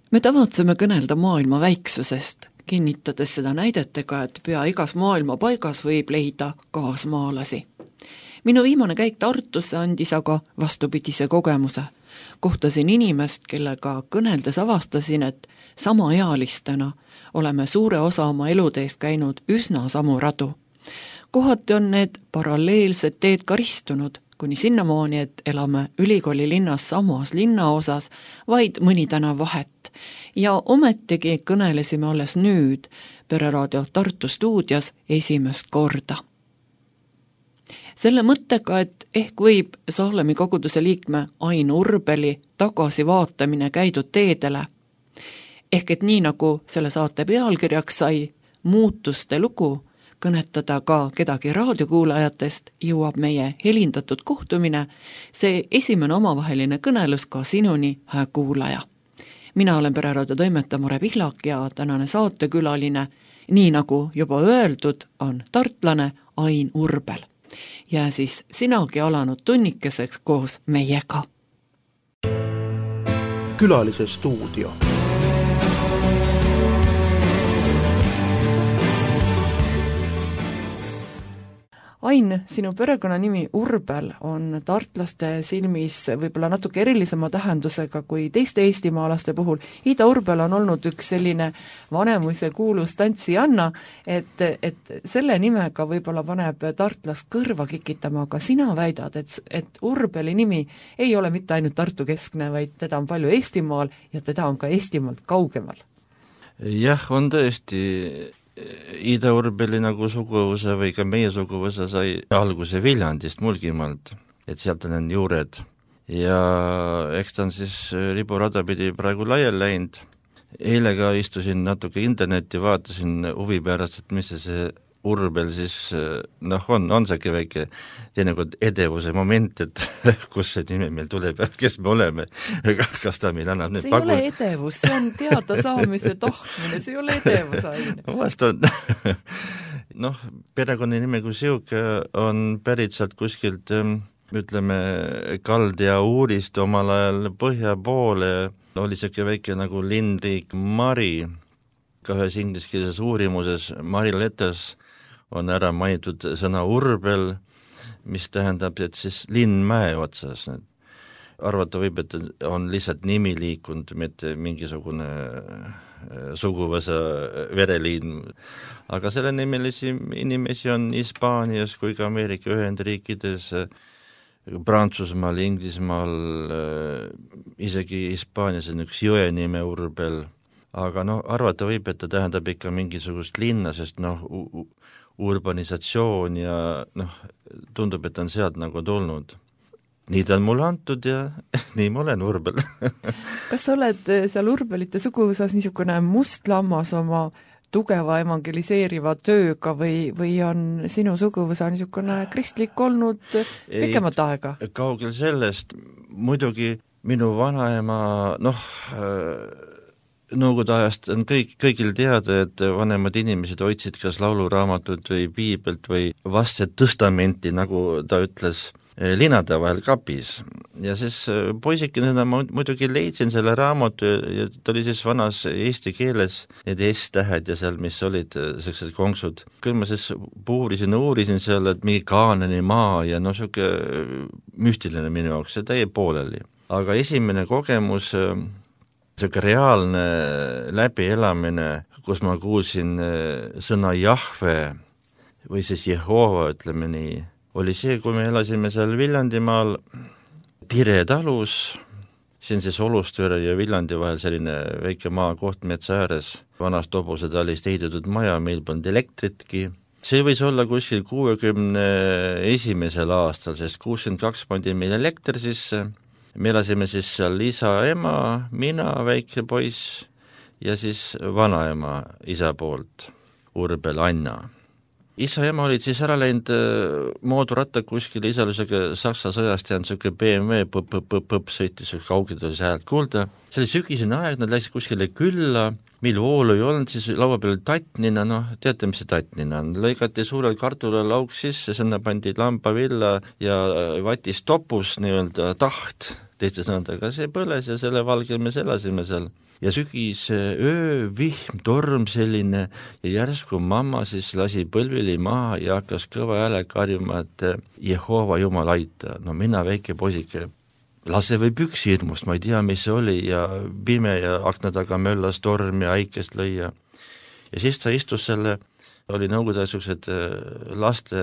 Me tavatseme kõnelda maailma väiksusest, kinnitades seda näidetega, et pea igas maailma paigas võib leida kaasmaalasi. Minu viimane käik Tartusse andis aga vastupidise kogemuse. Kohtasin inimest, kellega kõneldes avastasin, et samaealistena oleme suure osa oma eluteest käinud üsna samu radu. Kohati on need paralleelsed teed karistunud, kuni sinnamaani, et elame ülikooli linnas samas linnaosas, vaid mõni tänav vahet. Ja ometigi kõnelesime alles nüüd Pereraadio Tartu stuudios esimest korda. Selle mõttega, et ehk võib Saalemi koguduse liikme Ain Urbeli tagasivaatamine käidud teedele, ehk et nii nagu selle saate pealkirjaks sai muutuste lugu, kõnetada ka kedagi raadiokuulajatest, jõuab meie helindatud kohtumine, see esimene omavaheline kõnelus ka sinuni, hää kuulaja. Mina olen Pereraadio toimetaja Mare Pihlak ja tänane saatekülaline, nii nagu juba öeldud, on tartlane Ain Urbel. Ja siis sinagi alanud tunnikeseks koos meiega. Külalise stuudio. Ain, sinu perekonnanimi Urbel on tartlaste silmis võib-olla natuke erilisema tähendusega kui teiste eestimaalaste puhul. Ida Urbel on olnud üks selline vanemuse kuulus tantsijanna, et selle nimega võib-olla paneb tartlast kõrva kikitama, aga sina väidad, et Urbeli nimi ei ole mitte ainult Tartu keskne, vaid teda on palju Eestimaal ja teda on ka Eestimaalt kaugemal. Jah, on tõesti. Ida Urbeli nagu suguvõsa või ka meie suguvõsa sai alguse Viljandist, Mulgimaalt, et sealt on juured. Ja eks ta on siis riburada pidi praegu laiali läinud. Eile ka istusin natuke internetti, vaatasin huvi pärast, et mis see Urbel siis, on see väike teinekord edevuse moment, et kus see nime meil tuleb ja kes me oleme, kas ta meil annab need see ei ole edevus, see on teada saamise tahtmine, see ei ole edevus aine. Vast on. Perekonna nime kui siuke on pärit sealt kuskilt, ütleme, Kald ja Uurist omal ajal põhja poole, oli siuke väike nagu linnriik Mari, ka ühes ingliskeelses uurimuses Mari Letters on ära mainitud sõna Urbel, mis tähendab, et siis linn mäe otsas. Arvata võib, et on lihtsalt nimi liikunud, mitte mingisugune suguvõsa vereliin. Aga selle nimelisi inimesi on Hispaanias kui ka Ameerika Ühendriikides, Prantsusmaal, Inglismaal, isegi Hispaanias on üks jõe nime Urbel. Aga arvata võib, et ta tähendab ikka mingisugust linna, sest urbanisatsioon ja tundub, et on sealt nagu tulnud. Nii ta on mulle antud ja nii ma olen Urbel. Kas sa oled seal Urbelite suguvõsas niisugune mustlammas oma tugeva evangeliseeriva tööga või on sinu suguvõsa niisugune kristlik olnud pikemat aega? Kaugel sellest, muidugi minu vanaema, Nõukogude ajast on kõigil teada, et vanemad inimesed hoidsid kas lauluraamatut või piibelt või vastset tõstamenti, nagu ta ütles, linade vahel kapis. Ja siis poisikene ma muidugi leidsin selle raamatu ja ta oli siis vanas eesti keeles, need S-tähed ja seal, mis olid sellised konksud. Küll ma siis uurisin seal, et mingi Kaanani maa ja siuke müstiline minu jaoks, see täie pooleli. Aga esimene kogemus, selline reaalne läbielamine, kus ma kuulsin sõna Jahve või siis Jehova, ütleme nii, oli see, kui me elasime seal Viljandimaal Tire talus, see on siis Olustvere ja Viljandi vahel selline väike maakoht metsa ääres, vanast hobuse talist ehitatud maja, meil polnud elektritki. See võis olla kuskil 61. aastal, sest 62 pandi meil elekter sisse. Me elasime siis seal isa, ema, mina, väike poiss ja siis vanaema isa poolt, Urbel Anna. Isa ja ema olid siis ära läinud mooduratta kuskil, isa oli Saksa sõjast jäänud siuke BMW, sõitis kaugelt oli see häält kuulda. See oli sügisene aeg, nad läksid kuskile külla, mil voolu ei olnud, siis laua peal tattnina, teate, mis see tattnina on, lõigati suurel kartulalauk sisse, sinna pandi lambavilla ja vatis topus nii-öelda taht teiste sõnadega see põles ja selle valgel me elasime seal. Ja sügis öö, vihm, torm selline ja järsku mamma siis lasi põlvili maha ja hakkas kõva hääle karjuma, et Jehova Jumal aita. No mina väike poisike, lase või püksi hirmust, ma ei tea, mis see oli ja pime ja akna taga möllas torm ja äikest lõi ja siis ta istus selle, oli nõukogude niisugused laste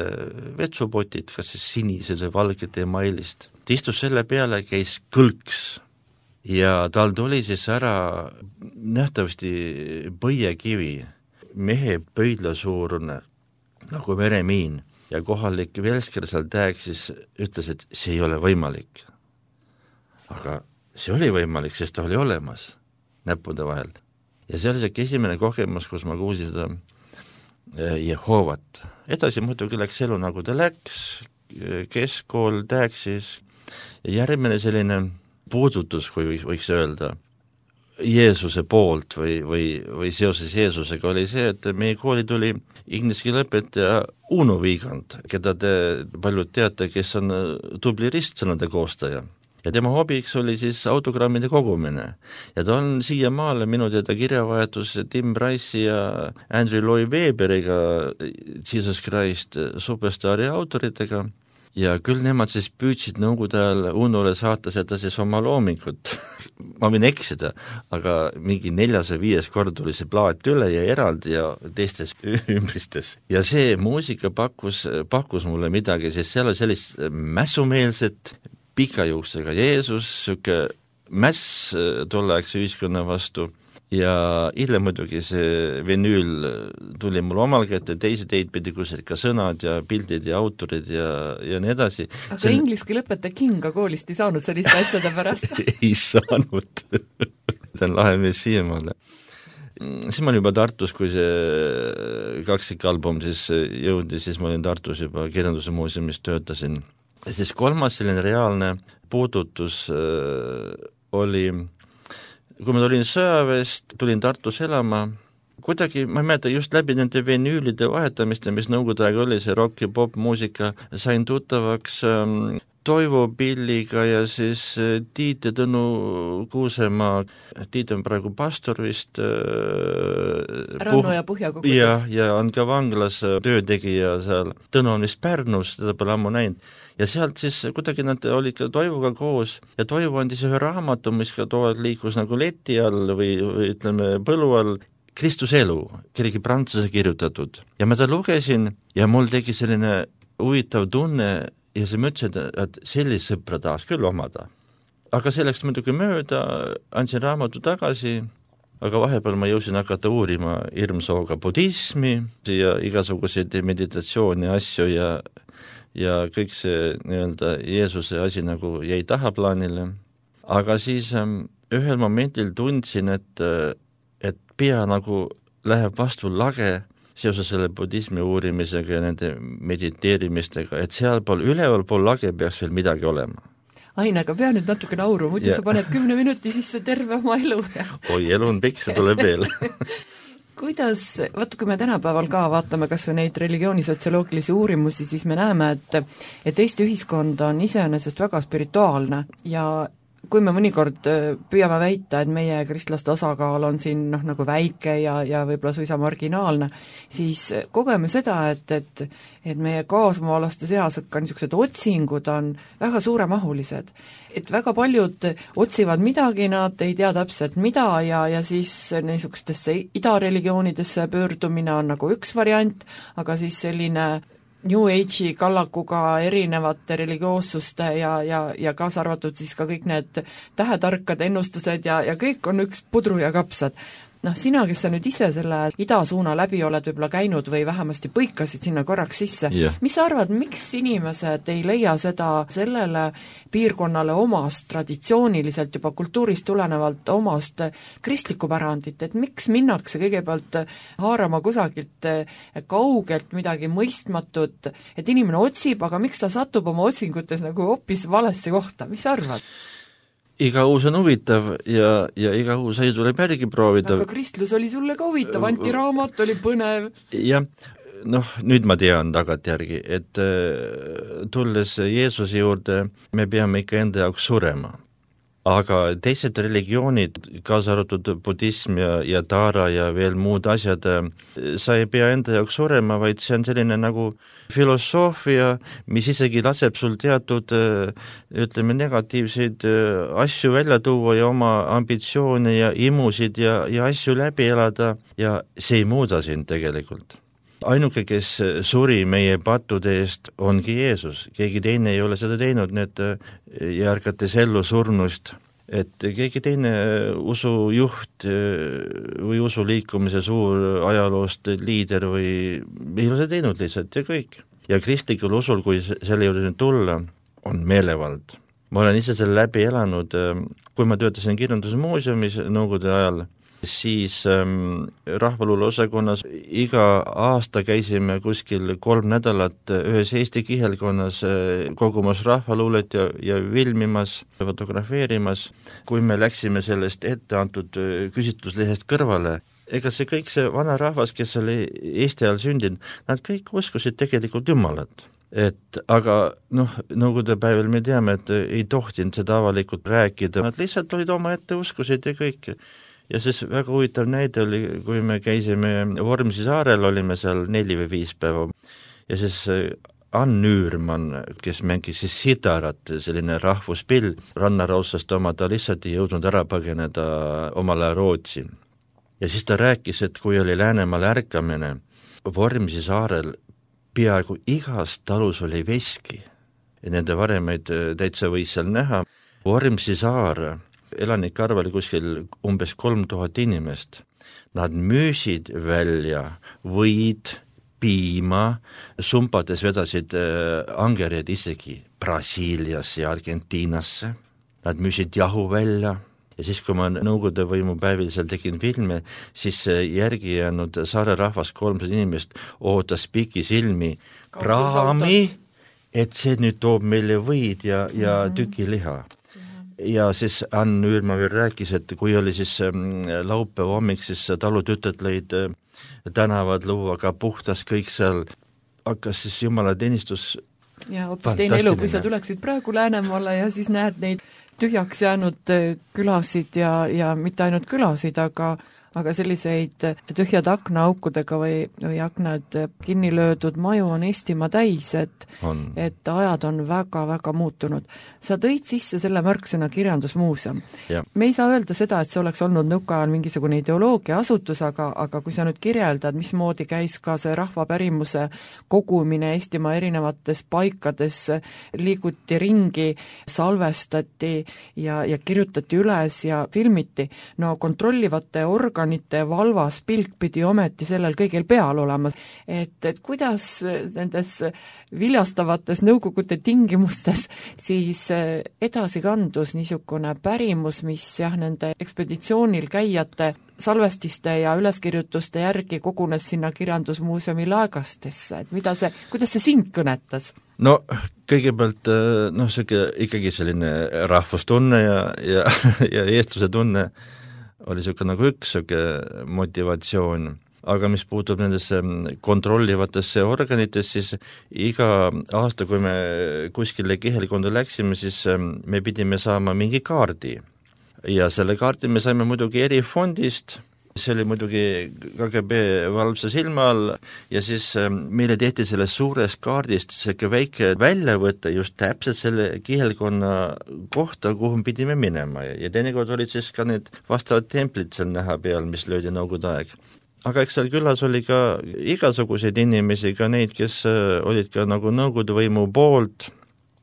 vetsupotid, kas siis sinised või valgete emailist. Ta istus selle peale, käis kõlks ja tal tuli siis ära nähtavasti põiekivi, mehe pöidla suurune, nagu meremiin ja kohalik velsker seal täeksis ütles, et see ei ole võimalik. Aga see oli võimalik, sest ta oli olemas näppude vahel. Ja see oli see esimene kogemus, kus ma kuulsin seda Jehovat. Edasi muidugi läks elu nagu ta läks, keskkool täeksis ja järgmine selline puudutus, kui võiks öelda, Jeesuse poolt või seoses Jeesusega oli see, et meie kooli tuli inglise keele õpetaja Uno Viigand, keda te paljud teate, kes on tubli ristsõnade koostaja. Ja tema hobiks oli siis autogrammide kogumine. Ja ta on siiamaale minu teada kirjavahetus Tim Rice'i ja Andrew Lloyd Weberiga, Jesus Christ Superstari autoritega. Ja küll nemad siis püüdsid nõukogude ajal Unole saata seda siis oma loomingut. Ma võin eksida, aga mingi 4. või 5. kord tuli see plaat üle ja eraldi ja teistes ümbristes. Ja see muusika pakkus mulle midagi, sest seal oli sellist mässumeelset pika juuksega Jeesus, siuke mäss tolleaegse ühiskonna vastu ja hiljem muidugi see vinüül tuli mul omal kätte, teisi teid pidi kusel ka sõnad ja pildid ja autorid ja nii edasi. Aga inglise keele õpetaja Kinga koolist ei saanud selliste asjade pärast? Ei saanud. See on lahe mees siiamaale. Siis ma olin juba Tartus, kui see kaksikalbum siis jõudi, siis ma olin Tartus juba kirjanduse muuseumis töötasin. Ja siis kolmas selline reaalne puudutus oli, kui ma tulin sõjaväest, tulin Tartus elama, kuidagi, ma ei mäleta, just läbi nende vinüülide vahetamiste, mis nõukogude aeg oli, see rock ja pop muusika, sain tuttavaks Toivo Pilliga ja siis Tiit ja Tõnu Kuusemaa. Tiit on praegu pastor vist. Rannu ja Põhjakogudus. Ja on ka vanglas töötegija seal. Tõnu on vist Pärnus, teda pole ammu näinud. Ja sealt siis kuidagi nad olid ka Toivoga koos ja Toivo andis ühe raamatu, mis ka tood liikus nagu leti all või ütleme põlu all, Kristuse elu, kellegi prantsuse kirjutatud. Ja ma ta lugesin ja mul tegi selline huvitav tunne ja see mõtlesin, et sellist sõpra tahaks küll omada. Aga selleks muidugi mööda, andsin raamatu tagasi, aga vahepeal ma jõusin hakata uurima hirmsooga budismi ja igasuguseid meditatsiooni asju ja kõik see nii-öelda Jeesuse asi nagu jäi tahaplaanile. Aga siis ühel momendil tundsin, et pea nagu läheb vastu lage seoses selle budismi uurimisega ja nende mediteerimistega, et sealpool üleval pool lage peaks veel midagi olema. Ain, aga pea nüüd natuke nauru, muidu sa paned 10 minuti sisse terve oma elu. Oi, elu on pikk, see tuleb veel. Kuidas, vaata kui me tänapäeval ka vaatame kas või neid religioonisotsioloogilisi uurimusi, siis me näeme, et Eesti ühiskond on iseenesest väga spirituaalne ja kui me mõnikord püüame väita, et meie kristlaste osakaal on siin nagu väike ja võib-olla suisa marginaalne, siis kogeme seda, et meie kaasmaalaste seas, et ka niisugused otsingud on väga suuremahulised. Et väga paljud otsivad midagi, nad ei tea täpselt mida ja siis niisugustesse idareligioonidesse pöördumine on nagu üks variant, aga siis selline New Age'i kallakuga erinevate religioossuste ja kaasa arvatud siis ka kõik need tähetarkade ennustused ja kõik on üks pudru ja kapsad. Sina, kes sa nüüd ise selle idasuuna läbi oled võib-olla käinud või vähemasti põikasid sinna korraks sisse, Mis sa arvad, miks inimesed ei leia seda sellele piirkonnale omast, traditsiooniliselt juba kultuurist tulenevalt omast kristlikku pärandit, et miks minnakse kõigepealt haarama kusagilt kaugelt midagi mõistmatut, et inimene otsib, aga miks ta satub oma otsingutes nagu hoopis valesse kohta, mis sa arvad? Iga uus on huvitav ja iga uus asi tuleb järgi proovida. Aga kristlus oli sulle ka huvitav, antiraamat oli põnev. Jah, nüüd ma tean tagantjärgi, et tulles Jeesuse juurde, me peame ikka enda jaoks surema. aga teised religioonid, kaasa arvatud budism ja taara ja veel muud asjad, sa ei pea enda jaoks surema, vaid see on selline nagu filosoofia, mis isegi laseb sul teatud, ütleme, negatiivseid asju välja tuua ja oma ambitsioone ja imusid ja asju läbi elada ja see ei muuda sind tegelikult. Ainuke, kes suri meie pattude eest, ongi Jeesus. Keegi teine ei ole seda teinud, need järgates ellu surnust, et keegi teine usujuht või usuliikumise suur ajaloost liider või ei ole seda teinud lihtsalt ja kõik. Ja kristlikul usul, kui selle juurde tulla, on meelevald. Ma olen ise selle läbi elanud, kui ma töötasin kirjandusmuuseumis nõukogude ajal, siis rahvaluule osakonnas iga aasta käisime kuskil 3 nädalat ühes Eesti kihelkonnas kogumas rahvaluulet ja filmimas, fotografeerimas. Kui me läksime sellest ette antud küsitluslehest kõrvale, ega see kõik see vana rahvas, kes oli Eesti ajal sündinud, nad kõik uskusid tegelikult Jumalat. Aga nõukogude päeval me teame, et ei tohtinud seda avalikult rääkida, nad lihtsalt olid oma ette uskusid ja kõik. Ja siis väga huvitav näide oli, kui me käisime Vormsi saarel, olime seal 4 või 5 päeva ja siis Ann Üürmann, kes mängis siis sidarat, selline rahvuspill, rannaraussast oma, ta lihtsalt ei jõudnud ära põgeneda omal ajal Rootsi. Ja siis ta rääkis, et kui oli Läänemaal ärkamine, Vormsi saarel peaaegu igas talus oli veski ja nende varemaid täitsa võis seal näha. Vormsi saar elanike arv oli kuskil umbes 3000 inimest. Nad müüsid välja võid, piima, sumpades vedasid angerid isegi Brasiiliasse ja Argentiinasse. Nad müüsid jahu välja ja siis, kui ma nõukogude võimu päevil seal tegin filme, siis järgi jäänud saare rahvas 300 inimest ootas pikisilmi praami, et see nüüd toob meile võid ja tükiliha. Ja siis Ann Üürma veel rääkis, et kui oli siis laupäeva hommik, siis talutütred lõid tänavad luua, aga puhtas kõik seal, hakkas siis jumalateenistus. Ja hoopis teine elu, kui sa tuleksid praegu Läänemaale ja siis näed neid tühjaks jäänud külasid ja mitte ainult külasid, aga selliseid tühjad aknaaukudega või aknad kinni löödud maju on Eestimaa täis, et ajad on väga-väga muutunud. Sa tõid sisse selle märksõna kirjandusmuuseum. Me ei saa öelda seda, et see oleks olnud nõukaajal mingisugune ideoloogia asutus, aga kui sa nüüd kirjeldad, mismoodi käis ka see rahvapärimuse kogumine Eestimaa erinevates paikades, liiguti ringi, salvestati ja kirjutati üles ja filmiti, kontrollivate organite valvas pilk pidi ometi sellel kõigil peal olema. Et kuidas nendes viljastavates nõukogude tingimustes siis edasi kandus niisugune pärimus, mis nende ekspeditsioonil käijate salvestiste ja üleskirjutuste järgi kogunes sinna kirjandusmuuseumi laegastesse, et kuidas see sind kõnetas? No kõigepealt ikkagi selline rahvustunne ja eestluse tunne oli niisugune nagu üks motivatsioon, aga mis puutub nendesse kontrollivatesse organitesse, siis iga aasta, kui me kuskile kihelkonda läksime, siis me pidime saama mingi kaardi. Ja selle kaardi me saime muidugi erifondist, see oli muidugi KGB valvsa silma all ja siis meile tehti sellest suurest kaardist selline väike väljavõte just täpselt selle kihelkonna kohta, kuhu pidime minema ja teinekord olid siis ka need vastavad templid seal näha peal, mis löödi nõukogude aeg. Aga eks seal külas oli ka igasuguseid inimesi, ka neid, kes olid ka nagu nõukogude võimu poolt,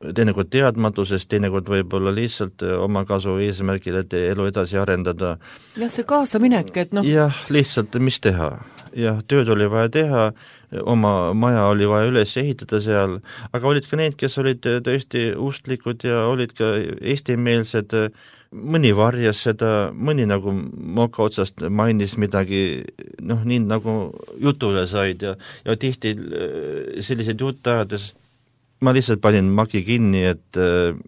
teinekord teadmatusest, teinekord võib-olla lihtsalt oma kasu eesmärgil, et elu edasi arendada. Ja see kaasaminek, et Jah, lihtsalt mis teha. Jah, tööd oli vaja teha, oma maja oli vaja üles ehitada seal, aga olid ka need, kes olid tõesti ustlikud ja olid ka eestimeelsed, mõni varjas seda, mõni nagu moka otsast mainis midagi, nii nagu jutule said ja tihti sellised jutt ajades ma lihtsalt panin maki kinni, et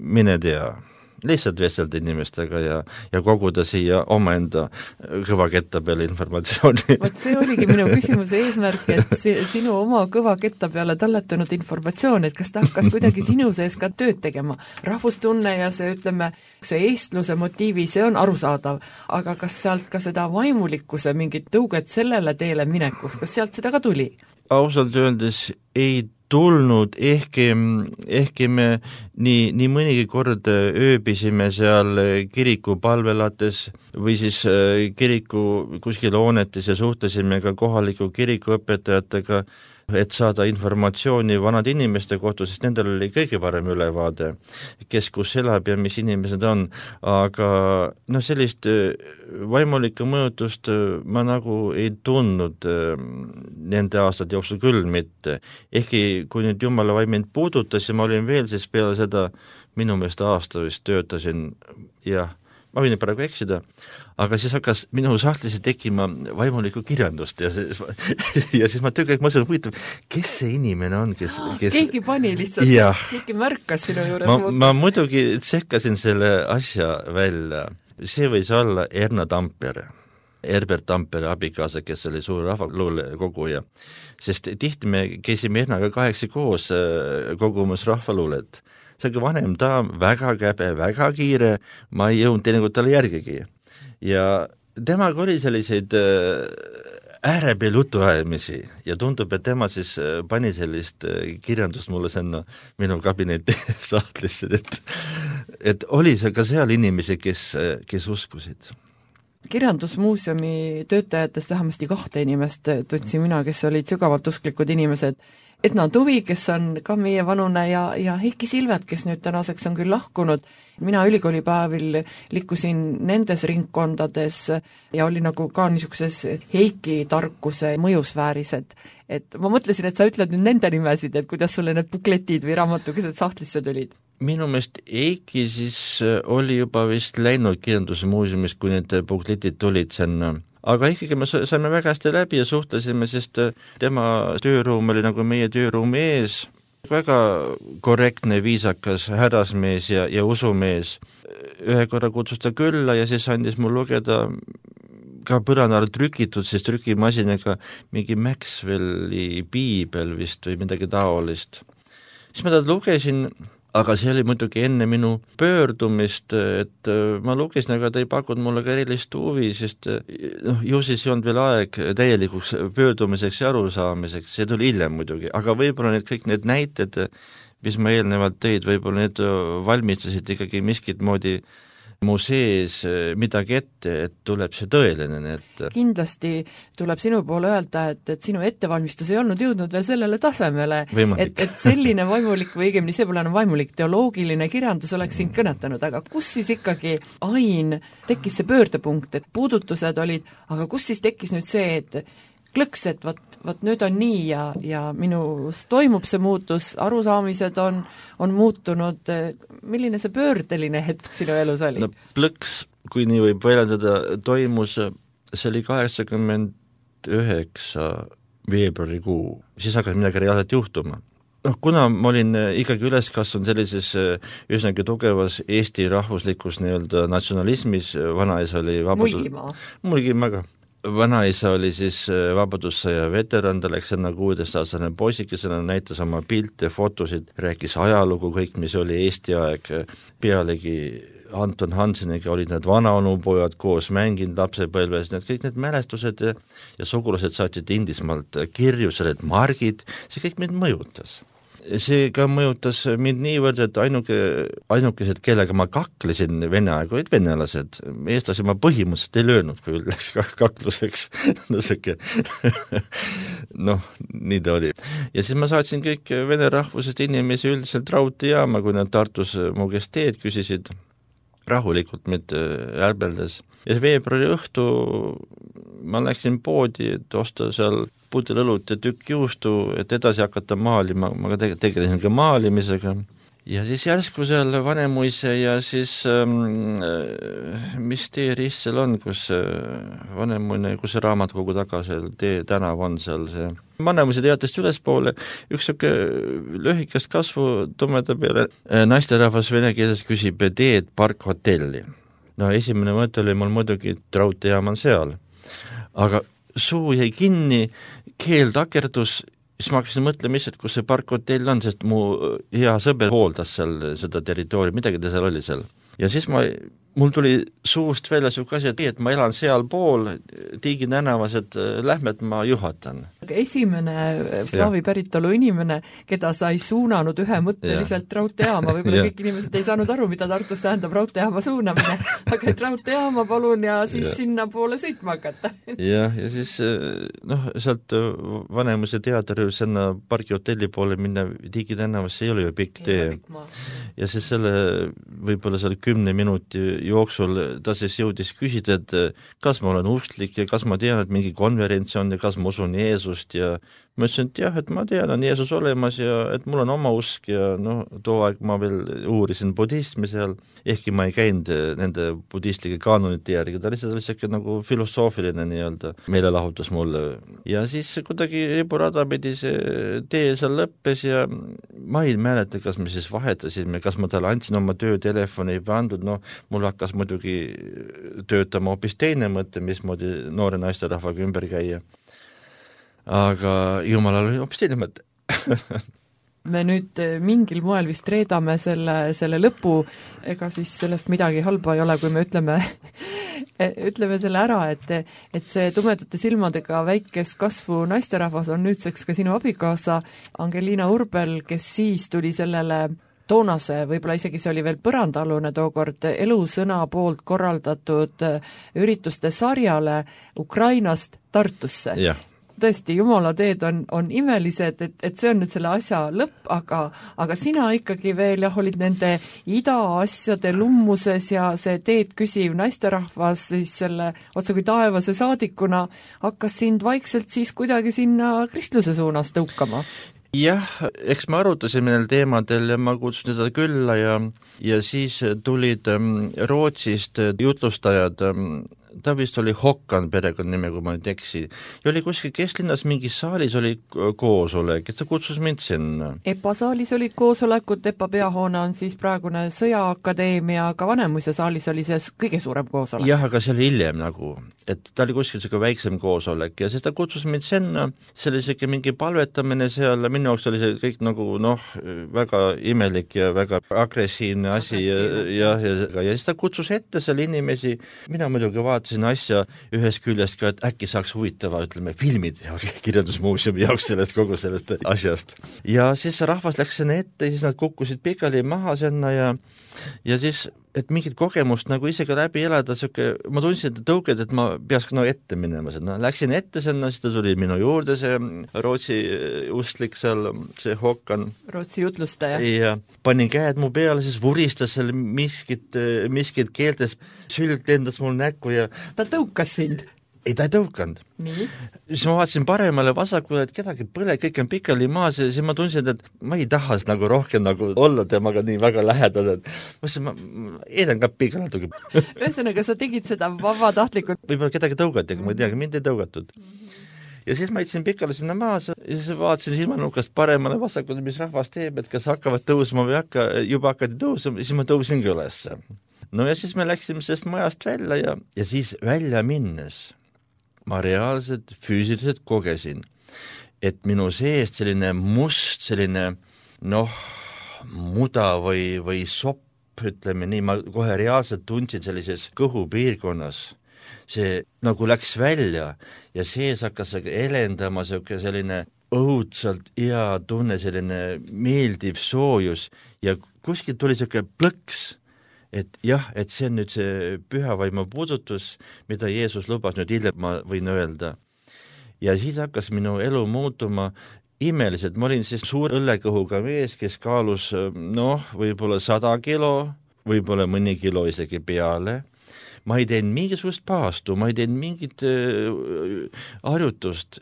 mine tea. lihtsalt vestelda inimestega ja koguda siia omaenda kõvaketta peale informatsiooni. Vot see oligi minu küsimuse eesmärk, et sinu oma kõvaketta peale talletanud informatsioon, et kas ta hakkas kuidagi sinu sees ka tööd tegema. Rahvustunne ja see, ütleme, see eestluse motiivi, see on arusaadav, aga kas sealt ka seda vaimulikkuse mingit tõuget sellele teele minekuks, kas sealt seda ka tuli? Ausalt öeldes ei tulnud, ehkki me nii mõnigi kord ööbisime seal kiriku palvelates või siis kiriku kuskil hoonetes ja suhtlesime ka kohaliku kirikuõpetajatega, et saada informatsiooni vanade inimeste kohta, sest nendel oli kõige parem ülevaade, kes kus elab ja mis inimesed on, aga sellist vaimulikku mõjutust ma nagu ei tundnud nende aastate jooksul küll mitte. Ehkki kui nüüd Jumala vaim mind puudutas ja ma olin veel siis peale seda minu meelest aasta vist töötasin, jah, ma võin praegu eksida, aga siis hakkas minu sahtlisse tekkima vaimulikku kirjandust ja siis ma töökäik mõtlesin, huvitav, kes see inimene on, kes... Keegi pani lihtsalt, keegi märkas sinu juures. Ma muidugi tsekkasin selle asja välja. See võis olla Erna Tampere, Herbert Tampere abikaasa, kes oli suur rahvaluule koguja. Sest tihti me käisime Ernaga 8 koos kogumas rahvaluulet. See on vanem daam, väga käbe, väga kiire, ma ei jõudnud teinekord talle järgigi. Ja temaga oli selliseid äärepeel jutuajamisi ja tundub, et tema siis pani sellist kirjandust mulle sinna minu kabineti sahtlisse, et oli seal ka seal inimesi, kes uskusid. Kirjandusmuuseumi töötajatest vähemasti 2 inimest tundsin mina, kes olid sügavalt usklikud inimesed, Edna Tuvi, kes on ka meie vanune ja Heiki Silvet, kes nüüd tänaseks on küll lahkunud. Mina ülikoolipäevil liikusin nendes ringkondades ja oli nagu ka niisuguses Heiki tarkuse mõjusfääris, et ma mõtlesin, et sa ütled nüüd nende nimesid, et kuidas sulle need bukletid või raamatukesed sahtlisse tulid. Minu meelest Heiki siis oli juba vist läinud kirjandusmuuseumist, kui need bukletid tulid sinna. Aga ikkagi me saime väga hästi läbi ja suhtlesime, sest tema tööruum oli nagu meie tööruum ees, väga korrektne, viisakas härrasmees ja usumees. Ühe korra kutsus ta külla ja siis andis mul lugeda ka põrandal trükitud, siis trükimasinaga mingi Maxwelli piibel vist või midagi taolist. Siis ma ta lugesin, aga see oli muidugi enne minu pöördumist, et ma lugesin, aga ta ei pakunud mulle ka erilist huvi, sest ju siis ei olnud veel aeg täielikuks pöördumiseks ja arusaamiseks, see tuli hiljem muidugi, aga võib-olla kõik need näited, mis ma eelnevalt tõid, võib-olla need valmistasid ikkagi miskit moodi mu sees midagi ette, et tuleb see tõeline. Kindlasti tuleb sinu poole öelda, et sinu ettevalmistus ei olnud jõudnud veel sellele tasemele, et selline vaimulik või õigemini see pole enam vaimulik, teoloogiline kirjandus oleks sind kõnetanud, aga kus siis ikkagi Ain tekkis see pöördepunkt, et puudutused olid, aga kus siis tekkis nüüd see, et klõks, et võt nüüd on nii ja minus toimub see muutus, arusaamised on muutunud, milline see pöördeline hetk sinu elus oli? No plõks, kui nii võib väljendada, toimus, see oli 89 veebruarikuu, siis hakkas midagi reaalselt juhtuma. Kuna ma olin ikkagi üles kasvanud sellises üsnagi tugevas Eesti rahvuslikus nii-öelda natsionalismis, vanaisa oli Mulgimaga. Vanaisa oli siis vabadussõja veteran, ta läks enne 16-aastane poisikesena, näitas oma pilte, fotosid, rääkis ajalugu, kõik, mis oli Eesti aeg, pealegi Anton Hanseniga olid need vanaonupojad koos mänginud lapsepõlves, need kõik need mälestused ja sugulased saatsid Inglismaalt kirju, need margid, see kõik mind mõjutas. See ka mõjutas mind niivõrd, et ainukesed, kellega ma kaklesin Vene aega, olid venelased. Eestlasi ma põhimõtteliselt ei löönud, kui läks kakluseks. Nii ta oli. Ja siis ma saatsin kõik vene rahvusest inimesi üldiselt raudteejaama, kui nad Tartus mu käest teed küsisid, rahulikult mitte ärbeldes. Ja veebruari õhtu ma läksin poodi, et osta seal pudel õlut ja tükk juustu, et edasi hakata maalima, ma tegelesin ka maalimisega. ja siis järsku seal Vanemuise ja siis mis tee rist seal on, kus Vanemuine, kus see raamatukogu taga seal tee tänav on seal see Vanemuise teatest ülespoole, üks siuke lühikest kasvu tumeda peale naisterahvas vene keeles küsib teed parkhotelli. No esimene mõte oli mul muidugi, et raudteejaam on seal, aga suu jäi kinni, keel takerdus. Siis ma hakkasin mõtlema ise, et kus see parkhotell on, sest mu hea sõber hooldas seal seda territooriumi, midagi ta seal oli seal. Ja siis mul tuli suust välja siuke asi, et ma elan seal pool Tiigi tänavas, et lähme, et ma juhatan. Esimene slaavi päritolu inimene, keda sa ei suunanud ühemõtteliselt raudteejaama, võib-olla kõik inimesed ei saanud aru, mida Tartus tähendab raudteejaama suunamine, aga et raudteejaama palun ja siis sinna poole sõitma hakata. ja siis sealt Vanemuise teatri sinna pargihotelli poole minna Tiigi tänavas, see ei ole ju pikk tee. Ja siis võib-olla seal 10 minuti jooksul ta siis jõudis küsida, et kas ma olen usklik ja kas ma tean, et mingi konverents on ja kas ma usun Jeesust ja ma ütlesin, et jah, et ma tean, on Jeesus olemas ja et mul on oma usk ja too aeg ma veel uurisin budismi seal, ehkki ma ei käinud nende budistlike kaanonite järgi, ta lihtsalt oli siuke nagu filosoofiline nii-öelda meelelahutus mulle. Ja siis kuidagi riburada pidi see tee seal lõppes ja ma ei mäleta, kas me siis vahetasime, kas ma talle andsin oma töötelefoni või andnud, mul hakkas muidugi töötama hoopis teine mõte, mismoodi noore naisterahvaga ümber käia. Aga jumalal oli hoopis teine mõte. Me nüüd mingil moel vist reedame selle lõpu, ega siis sellest midagi halba ei ole, kui me ütleme selle ära, et see tumedate silmadega väikest kasvu naisterahvas on nüüdseks ka sinu abikaasa Angelina Urbel, kes siis tuli sellele toonase, võib-olla isegi see oli veel põrandaalune tookord, Elusõna poolt korraldatud ürituste sarjale Ukrainast Tartusse. Jah. Tõesti, Jumala teed on imelised, et see on nüüd selle asja lõpp, aga sina ikkagi veel olid nende idaasjade lummuses ja see teed küsiv naisterahvas siis selle otsa kui taevase saadikuna hakkas sind vaikselt siis kuidagi sinna kristluse suunas tõukama. Jah, eks me arutasime neil teemadel ja ma kutsusin teda külla ja siis tulid Rootsist jutlustajad, ta vist oli Håkan perekonnanime, kui ma nüüd eksi. Ja oli kuskil kesklinnas mingi saalis oli koosolek, et ta kutsus mind sinna. EPA saalis olid koosolekud, EPA peahoone on siis praegune Sõjaakadeemia, aga Vanemuise saalis oli see kõige suurem koosolek. Jah, aga see oli hiljem et ta oli kuskil selline väiksem koosolek ja siis ta kutsus mind sinna, see oli selline mingi palvetamine seal, minu jaoks oli see kõik väga imelik ja väga agressiivne asi ja siis ta kutsus ette seal inimesi, mina muidugi vaatasin asja ühest küljest ka, et äkki saaks huvitava, filmid ja kirjandusmuuseumi jaoks kogu sellest asjast. Ja siis rahvas läks sinna ette ja siis nad kukkusid pikali maha sinna ja siis et mingit kogemust isegi läbi elada, ma tundsin, et tõuked, et ma peaks ette minema. Läksin ette sinna, siis ta tuli minu juurde, see Rootsi ustlik seal, see Håkan. Rootsi jutlustaja. Ja panin käed mu peale, siis vuristas seal miskit keeltes, sülg lendas mul näkku ja... Ta tõukas sind? Ei, ta ei tõukanud. Nii? Siis ma vaatasin paremale vasakule, et kedagi põle, kõik on pikali maas ja siis ma tundsin, et ma ei taha rohkem olla temaga nii väga lähedal, et ma eedan ka pikal natuke. Ühesõnaga, sa tegid seda vabatahtlikult? Võib-olla kedagi tõugati, aga ma ei tea, mind ei tõugatud. Ja siis ma ütlesin pikali sinna maas ja siis vaatasin silmanukast paremale vasakule, mis rahvas teeb, et kas hakkavad tõusma või juba hakkati tõusma, siis ma tõusingi ülesse. No ja siis me läksime sellest majast välja ja siis välja minnes ma reaalselt füüsiliselt kogesin, et minu seest selline must, selline muda või sopp, ütleme nii, ma kohe reaalselt tundsin sellises kõhupiirkonnas. See läks välja ja sees hakkas elendama selline õudselt hea tunne, selline meeldiv soojus ja kuskilt tuli selline plõks, et jah, et see on nüüd see pühavaimu puudutus, mida Jeesus lubas nüüd hiljem, ma võin öelda. Ja siis hakkas minu elu muutuma imeliselt, ma olin siis suur õllekõhuga mees, kes kaalus võib-olla 100 kilo, võib-olla mõni kilo isegi peale. Ma ei teinud mingisugust paastu, ma ei teinud mingit harjutust.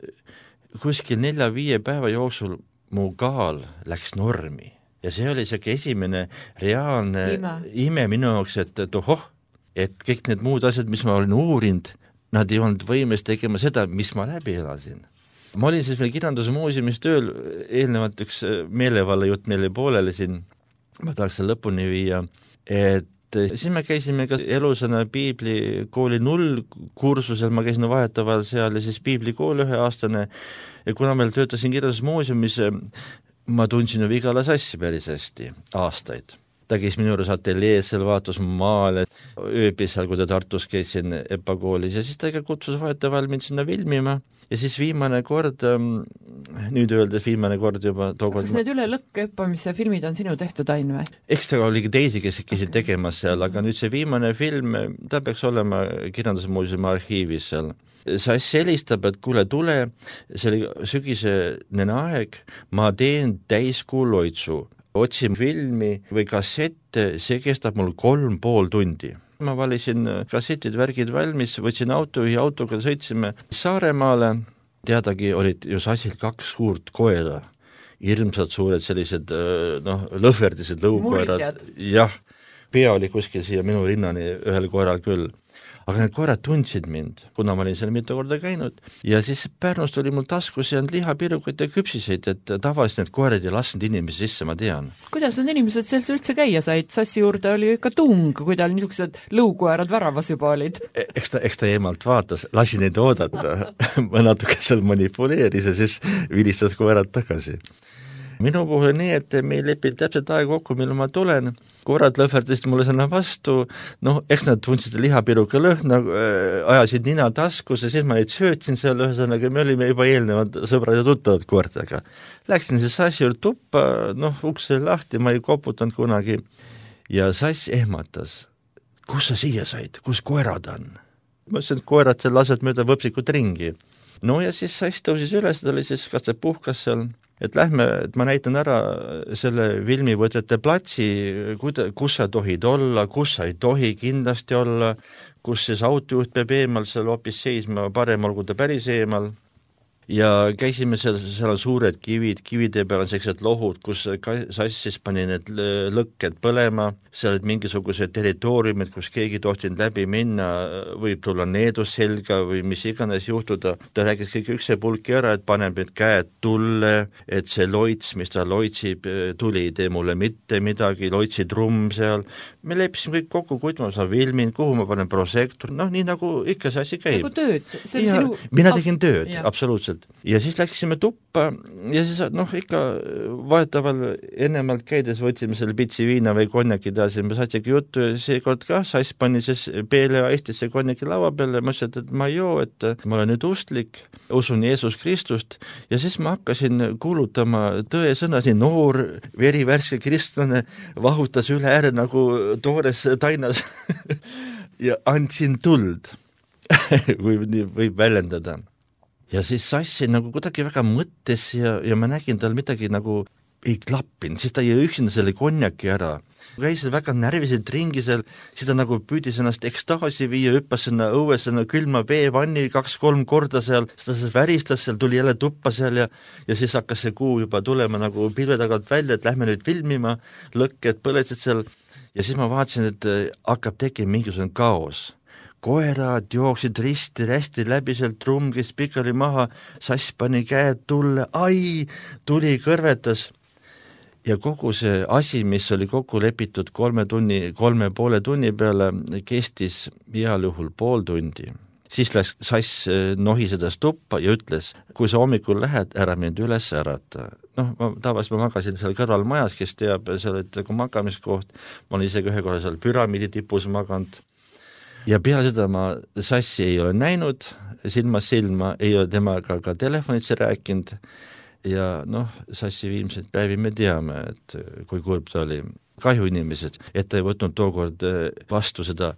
Kuskil 4-5 päeva jooksul mu kaal läks normi. ja see oli selline esimene reaalne ime minu jaoks, et ohoh, et kõik need muud asjad, mis ma olin uurinud, nad ei olnud võimes tegema seda, mis ma läbi elasin. Ma olin siis veel kirjandusmuuseumis tööl, eelnevalt üks meelevallajutt meile pooleli siin, ma tahaks selle lõpuni viia, et siis me käisime ka elusõna piiblikooli 0 kursusel, ma käisin vahetavael seal ja siis piiblikool 1-aastane ja kuna meil töötasin kirjandusmuuseumis, ma tundsin ju Vigala Sassi päris hästi aastaid. Ta käis minu juures ateljees, seal vaatas maale, ööbis seal, kui ta Tartus käisin EPA koolis ja siis ta kutsus vahetavael mind sinna filmima ja siis viimane kord, nüüd öeldes viimane kord juba tookord... Kas need üle lõkke õppamise filmid on sinu tehtud ain või? Ekstra oligi teisi, kes käisid tegemas seal, aga nüüd see viimane film, ta peaks olema kirjandusmuuseumi arhiivis seal. Sass helistab, et kuule, tule, see oli sügisene aeg, ma teen täiskuu loitsu. Otsin filmi või kassette, see kestab mul 3,5 tundi. Ma valisin kassetid, värgid valmis, võtsin autoga sõitsime Saaremaale, teadagi olid ju Sassil 2 suurt koera, hirmsad suured sellised lõhverdised lõukoerad. Jah, pea oli kuskil siia minu rinnani ühel koeral küll. Aga need koerad tundsid mind, kuna ma olin seal mitu korda käinud ja siis Pärnust oli mul taskus ja lihapirukaid ja küpsiseid, et tavaliselt need koerad ei lasknud inimesi sisse, ma tean. Kuidas need inimesed selles üldse käia said? Sassi juurde oli ju ikka tung, kui tal niisugused lõukoerad väravas juba olid. Eks ta eemalt vaatas, lasi neid oodata, ma natuke seal manipuleeris ja siis vilistas koerad tagasi. Minu puhul nii, et me lepid täpselt aeg kokku, mille ma tulen, koerad lõhverdasid mulle sõna vastu, eks nad tundsid lihapiruka lõhna, ajasid nina taskus ja siis ma neid söötsin seal, ühesõnaga me olime juba eelnevad sõbrad ja tuttavad koertega. Läksin siis Sassi juurde tuppa, ukse lahti, ma ei koputanud kunagi ja Sass ehmatas, kus sa siia said, kus koerad on? Ma ütlesin, et koerad seal lased mööda võpsikut ringi. No ja siis Sass tõusis üles, ta oli siis kas see puhkas seal, et lähme, et ma näitan ära selle filmivõtete platsi, kus sa tohid olla, kus sa ei tohi kindlasti olla, kus siis autojuht peab eemal seal hoopis seisma, parem olgu ta päris eemal. Ja käisime seal on suured kivide peal on sellised lohud, kus Sass siis pani need lõkked põlema, seal olid mingisugused territooriumid, kus keegi tohtinud läbi minna, võib tulla needus selga või mis iganes juhtuda. Ta rääkis kõik üksepulki ära, et paneb nüüd käed tulle, et see loits, mis ta loitsib, tuli ei tee mulle mitte midagi, loitsi trumm seal. Me leppisime kõik kokku, kuid ma saan filmin, kuhu ma panen prosektor, nii nagu ikka see asi käib. Nagu tööd. Mina tegin tööd, absoluutselt. Ja siis läksime tuppa ja siis ikka vaetaval ennemalt käides võtsime selle pitsi viina või konjaki taas ja me saatigi juttu ja seekord ka Sass pani siis PLA Eestisse konjaki laua peale, ma ütlesin, et ma ei joo, et ma olen nüüd ustlik, usun Jeesus Kristust ja siis ma hakkasin kuulutama tõe sõna, siin noor verivärske kristlane vahutas üle ääre nagu toores tainas ja andsin tuld võib väljendada. Ja siis Sassi nagu kuidagi väga mõttes ja ma nägin tal midagi nagu ei klappinud, siis ta jäi üksinda selle konjaki ära. Käis väga närviselt ringi seal, siis ta nagu püüdis ennast ekstaasi viia, hüppas sinna õues külma veevanni 2-3 korda seal, siis ta väristas seal, tuli jälle tuppa seal ja siis hakkas see kuu juba tulema nagu pilve tagant välja, et lähme nüüd filmima, lõkked põletsid seal ja siis ma vaatasin, et hakkab tekkima mingisugune kaos. Koerad jooksid risti-rästi läbi seal, trumm kes pikali maha, Sass pani käed tulle, tuli kõrvetas ja kogu see asi, mis oli kokku lepitud 3,5 tunni peale, kestis heal juhul 0,5 tundi. Siis läks Sass nohisedas tuppa ja ütles, kui sa hommikul lähed, ära mind üles ärata. Tavaliselt ma magasin seal kõrval majas, kes teab, seal oli nagu magamiskoht, ma olin isegi ühe korra seal püramiidi tipus maganud. Ja peale seda ma Sassi ei ole näinud, silmast silma, ei ole temaga ka telefonitse rääkinud ja Sassi viimseid päevi me teame, et kui kurb ta oli. Kahju inimesed, et ta ei võtnud tookord vastu seda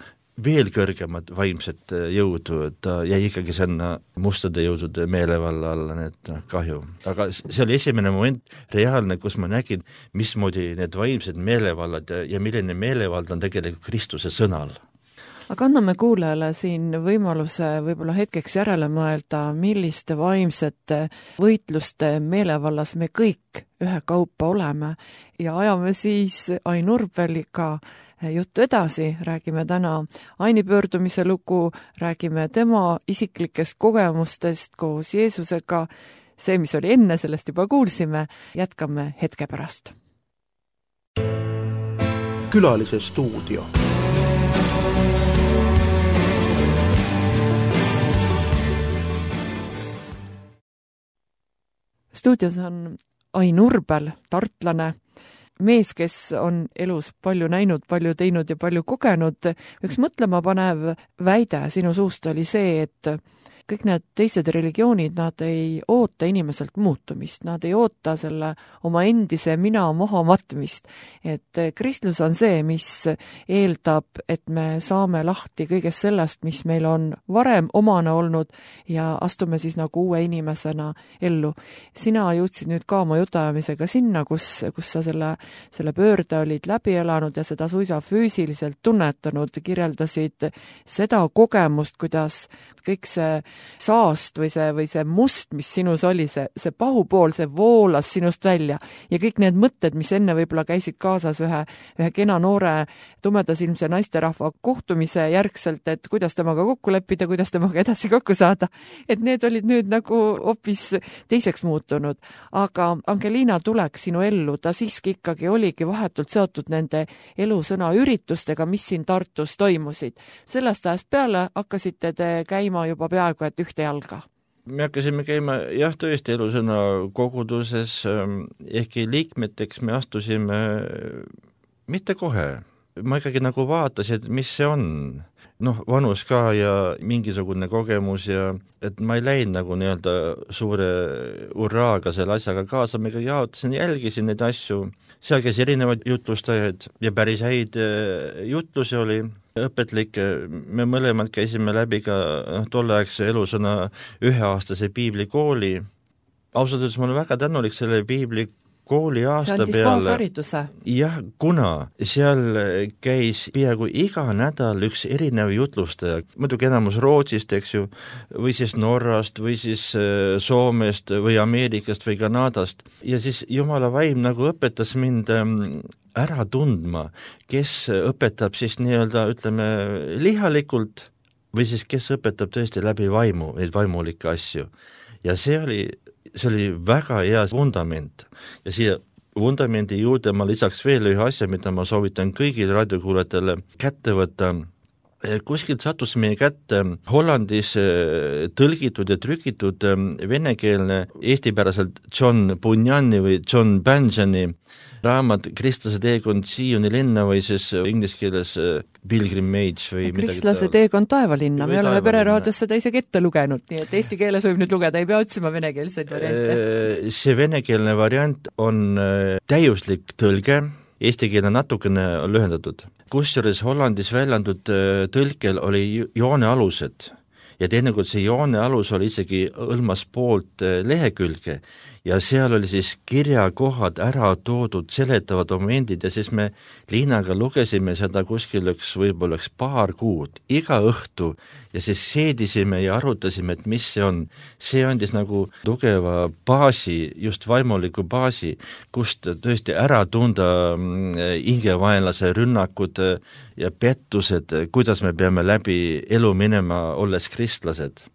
veel kõrgemat vaimset jõudu, et ta jäi ikkagi sinna mustade jõudude meelevalla alla, need kahju. Aga see oli esimene moment reaalne, kus ma nägin, mismoodi need vaimsed meelevallad ja milline meelevald on tegelikult Kristuse sõnal. aga anname kuulajale siin võimaluse võib-olla hetkeks järele mõelda, milliste vaimsete võitluste meelevallas me kõik ühekaupa oleme ja ajame siis Ain Urbeliga juttu edasi, räägime täna Aini pöördumise lugu, räägime tema isiklikest kogemustest koos Jeesusega, see, mis oli enne, sellest juba kuulsime, jätkame hetke pärast. Külalise stuudio. Stuudios on Ain Urbel, tartlane, mees, kes on elus palju näinud, palju teinud ja palju kogenud. Üks mõtlema panev väide sinu suust oli see, et kõik need teised religioonid, nad ei oota inimeselt muutumist, nad ei oota selle oma endise mina maha matmist. Et kristlus on see, mis eeldab, et me saame lahti kõigest sellest, mis meil on varem omane olnud ja astume siis nagu uue inimesena ellu. Sina jõudsid nüüd ka oma jutuajamisega sinna, kus sa selle pöörde olid läbi elanud ja seda suisa füüsiliselt tunnetanud, kirjeldasid seda kogemust, kuidas kõik see saast või see must, mis sinus oli, see pahupool, see voolas sinust välja ja kõik need mõtted, mis enne võib-olla käisid kaasas ühe kena noore tumedasilmse naisterahva kohtumise järgselt, et kuidas temaga kokku leppida, kuidas temaga edasi kokku saada, et need olid nüüd nagu hoopis teiseks muutunud. Aga Angelina tulek sinu ellu, ta siiski ikkagi oligi vahetult seotud nende elusõna üritustega, mis siin Tartus toimusid. Sellest ajast peale hakkasite te käima juba peaaegu et ühte jalga. Me hakkasime käima jah, tõesti elusõna koguduses, ehkki liikmeteks me astusime mitte kohe. Ma ikkagi nagu vaatasin, mis see on. Vanus ka ja mingisugune kogemus ja et ma ei läinud nagu nii-öelda suure urraaga selle asjaga kaasa, ma ikkagi jaotasin, jälgisin neid asju. Seal käis erinevad jutlustajaid ja päris häid jutlusi oli. Õpetlik, me mõlemad käisime läbi ka tolleaegse elusõna üheaastase piiblikooli. Ausalt öeldes ma olen väga tänulik selle piiblikooli aasta peale. See andis baashariduse. Jah, kuna seal käis peaaegu iga nädal üks erinev jutlustaja, muidugi enamus Rootsist, eks ju, või siis Norrast, või siis Soomest, või Ameerikast, või Kanadast. Ja siis Jumala vaim nagu õpetas mind ära tundma, kes õpetab siis nii-öelda, ütleme, lihalikult või siis kes õpetab tõesti läbi vaimu, neid vaimulikke asju. Ja see oli väga hea fundament. Ja siia vundamendi juurde ma lisaks veel ühe asja, mida ma soovitan kõigil raadiokuulajatele kätte võtta. Kuskilt sattus meie kätte Hollandis tõlgitud ja trükitud venekeelne eestipäraselt John Bunjani või John Bunjani raamat Kristlase teekond Sioni linna või siis inglise keeles Pilgrimage või Kristlase teekond taevalinna, me oleme Pereraadios seda isegi ette lugenud, nii et eesti keeles võib nüüd lugeda, ei pea otsima venekeelseid variante. See venekeelne variant on täiuslik tõlge, eesti keele natukene lühendatud. Kusjuures Hollandis väljendud tõlkel oli joonealused ja teinekord see joonealus oli isegi hõlmas poolt lehekülge ja seal oli siis kirjakohad ära toodud, seletavad momendid ja siis me Liinaga lugesime seda kuskil võib-olla paar kuud, iga õhtu ja siis seedisime ja arutasime, et mis see on. See andis nagu tugeva baasi, just vaimuliku baasi, kust tõesti ära tunda hingevaenlase rünnakud ja pettused, kuidas me peame läbi elu minema, olles kristlased.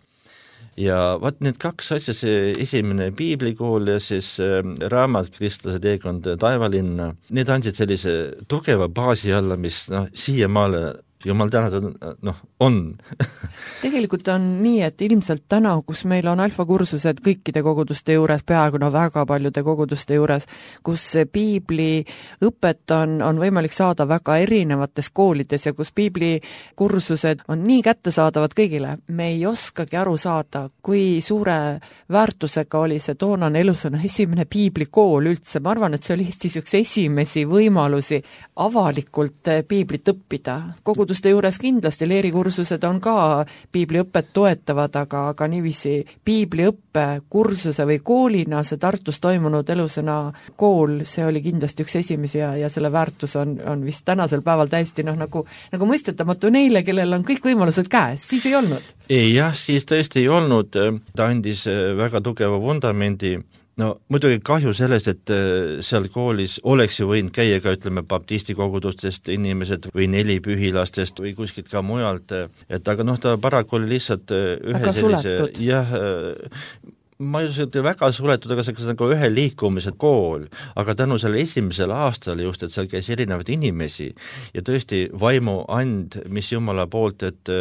Ja vaat need kaks asja, see esimene piiblikool ja siis raamat Kristlase teekond taevalinna, need andsid sellise tugeva baasi alla, mis siiamaale jumal tänatud, on. Tegelikult on nii, et ilmselt täna, kus meil on alfakursused kõikide koguduste juures, peaaegu väga paljude koguduste juures, kus piibli õpet on võimalik saada väga erinevates koolides ja kus piibli kursused on nii kättesaadavad kõigile, me ei oskagi aru saada, kui suure väärtusega oli see toonane elusõna esimene piiblikool üldse. Ma arvan, et see oli Eestis üks esimesi võimalusi avalikult piiblit õppida. Kogudus koguduste juures kindlasti leerikursused on ka piibliõpet toetavad, aga niiviisi piibliõppe kursuse või koolina see Tartus toimunud Elusõna kool, see oli kindlasti üks esimesi ja selle väärtus on vist tänasel päeval täiesti nagu mõistetamatu neile, kellel on kõik võimalused käes, siis ei olnud. Jah, siis tõesti ei olnud, ta andis väga tugeva vundamendi. No muidugi kahju sellest, et seal koolis oleks ju võinud käia ka, ütleme, baptisti kogudustest inimesed või nelipühilastest või kuskilt ka mujalt, et aga ta paraku oli lihtsalt ühe sellise, jah, ma ei usu, et väga suletud, aga see on nagu ühe liikumise kool, aga tänu selle esimesel aastal just, et seal käis erinevaid inimesi ja tõesti vaimu and, mis Jumala poolt, et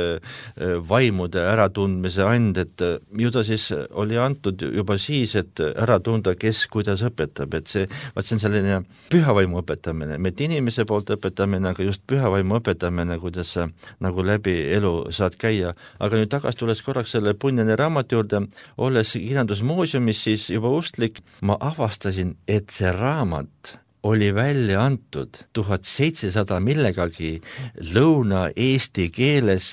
vaimude äratundmise and, et ju ta siis oli antud juba siis, et ära tunda, kes kuidas õpetab, et see on selline pühavaimu õpetamine, mitte inimese poolt õpetamine, aga just pühavaimu õpetamine, kuidas sa nagu läbi elu saad käia. Aga nüüd tagasi tulles korraks selle Punjani raamatu juurde, olles muusiumis siis juba ustlik, ma avastasin, et see raamat oli välja antud 1700 millegagi Lõuna-Eesti keeles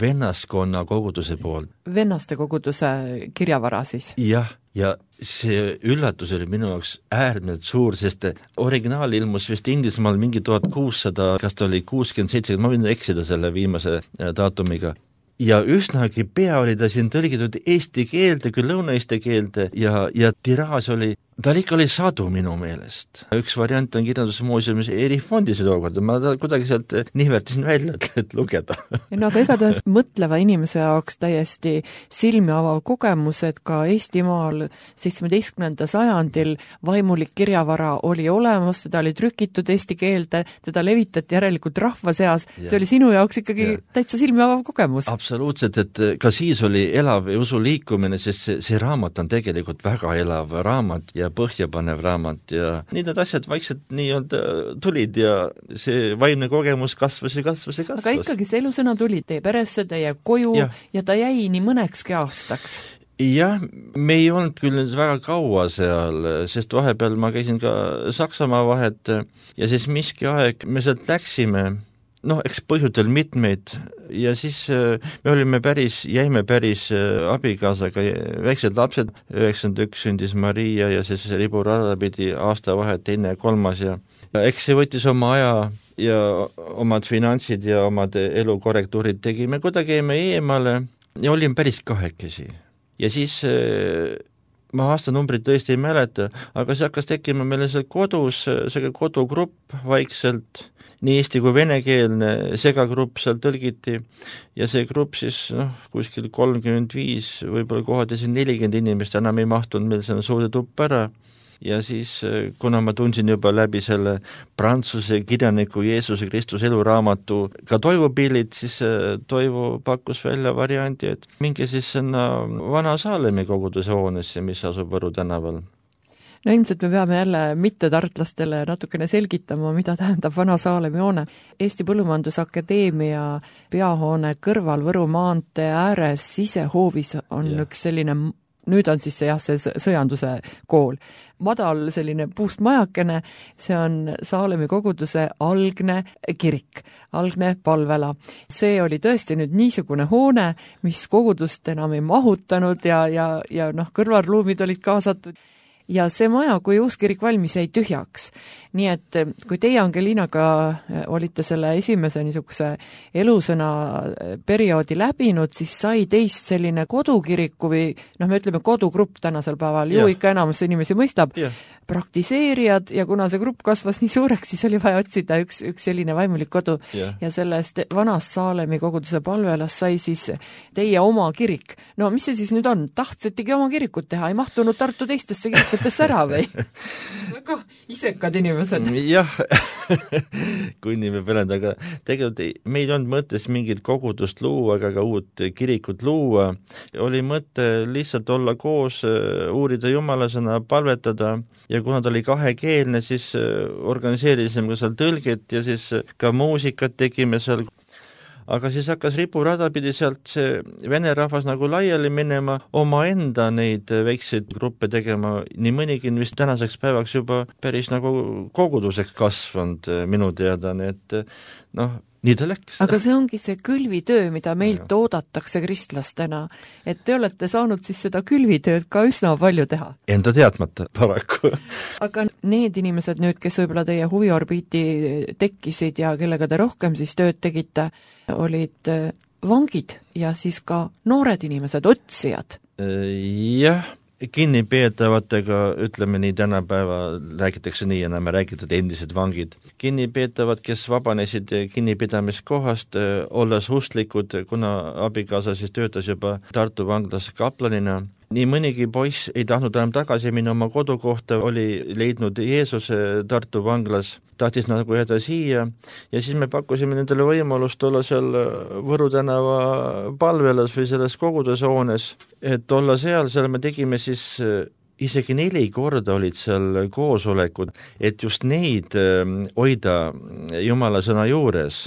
vennaskonna koguduse poolt. Vennaste koguduse kirjavara siis? Jah, ja see üllatus oli minu jaoks äärmiselt suur, sest originaal ilmus vist Inglismaal mingi 1600, kas ta oli 67, ma võin eksida selle viimase daatumiga. Ja üsnagi pea oli ta siin tõlgitud eesti keelde, küll lõuna-eesti keelde ja tiraas oli, ta ikka oli sadu minu meelest. Üks variant on kirjandusmuuseumis erifondis tookord, ma kuidagi sealt nihvertisin välja, et lugeda. No aga igatahes mõtleva inimese jaoks täiesti silmi avav kogemus, et ka Eestimaal 17. sajandil vaimulik kirjavara oli olemas, teda oli trükitud eesti keelde, teda levitati järelikult rahva seas, see oli sinu jaoks ikkagi täitsa silmi avav kogemus. Absoluutselt, et ka siis oli elav usu liikumine, sest see raamat on tegelikult väga elav raamat ja põhjapanev raamat ja need asjad vaikselt nii-öelda tulid ja see vaimne kogemus kasvas. Aga ikkagi see Elusõna tuli teie peresse, teie koju ja ta jäi nii mõnekski aastaks. Jah, me ei olnud küll väga kaua seal, sest vahepeal ma käisin ka Saksamaa vahet ja siis miski aeg me sealt läksime, eks põhjutel mitmeid ja siis me jäime päris abikaasaga väiksed lapsed, 91 sündis Maria ja siis riburada pidi aasta vahet, teine ja kolmas ja eks see võttis oma aja ja omad finantsid ja omad elukorrektuurid tegime, kuidagi jäime eemale ja olime päris kahekesi ja siis ma aastanumbrit tõesti ei mäleta, aga see hakkas tekkima meile seal kodus, see kodugrupp vaikselt, nii eesti kui venekeelne segagrupp seal tõlgiti ja see grupp siis kuskil 35, võib-olla kohad ja siin 40 inimest enam ei mahtunud meil selle suurde tuppa ära ja siis kuna ma tundsin juba läbi selle prantsuse kirjaniku Jeesuse Kristuse eluraamatu ka Toivo pillid, siis Toivo pakkus välja variandi, et minge siis sinna Vana Saalemi koguduse hoonesse, mis asub Võru tänaval. No ilmselt me peame jälle mittetartlastele natukene selgitama, mida tähendab Vana Saalemi hoone. Eesti Põllumajandusakadeemia peahoone kõrval Võru maantee ääres sisehoovis on üks selline, nüüd on siis see sõjanduse kool. Madal selline puust majakene, see on Saalemi koguduse algne kirik, algne palvela. See oli tõesti nüüd niisugune hoone, mis kogudust enam ei mahutanud ja kõrvalruumid olid kaasatud. Ja see maja, kui uuskirik valmis, jäi tühjaks. Nii et kui teie Angelinaga olite selle esimese niisuguse Elusõna perioodi läbinud, siis sai teist selline kodukiriku või me ütleme kodugrupp tänasel päeval, ju ikka enamus inimesi mõistab, praktiseerijad ja kuna see grupp kasvas nii suureks, siis oli vaja otsida üks selline vaimulik kodu ja sellest Vanast Saalemi koguduse palvelas sai siis teie oma kirik. No mis see siis nüüd on? Tahtsetigi oma kirikut teha, ei mahtunud Tartu teistesse kirikutesse ära või? Väga isekad inimesed. Jah, kui nii peab öelda, aga tegelikult meil on mõttes mingit kogudust luua, aga ka uut kirikut luua. Oli mõte lihtsalt olla koos, uurida Jumalasõna, palvetada ja kuna ta oli kahekeelne, siis organiseerisime ka seal tõlget ja siis ka muusikat tegime seal. Aga siis hakkas riburada pidi sealt see vene rahvas nagu laiali minema, omaenda neid väikseid gruppe tegema, nii mõnigi vist tänaseks päevaks juba päris nagu koguduseks kasvanud minu teada, nii et nii ta läks. Aga see ongi see külvitöö, mida meilt oodatakse kristlastena, et te olete saanud siis seda külvitööd ka üsna palju teha. Enda teadmata paraku. Aga need inimesed nüüd, kes võib-olla teie huviorbiiti tekkisid ja kellega te rohkem siis tööd tegite, olid vangid ja siis ka noored inimesed, otsijad. Jah, kinnipeetavatega, ütleme nii, tänapäeva räägitakse nii, enam räägitud endised vangid. Kinnipeetavad, kes vabanesid kinnipidamiskohast, olles ustlikud, kuna abikaasa siis töötas juba Tartu vanglas kaplanina. Nii mõnigi poiss ei tahtnud enam tagasi minna oma kodukohta, oli leidnud Jeesuse Tartu vanglas, tahtis nagu jääda siia ja siis me pakkusime nendele võimalust olla seal Võru tänava palvelas või selles kogudusehoones, et olla seal me tegime siis isegi 4 korda olid seal koosolekud, et just neid hoida Jumala sõna juures,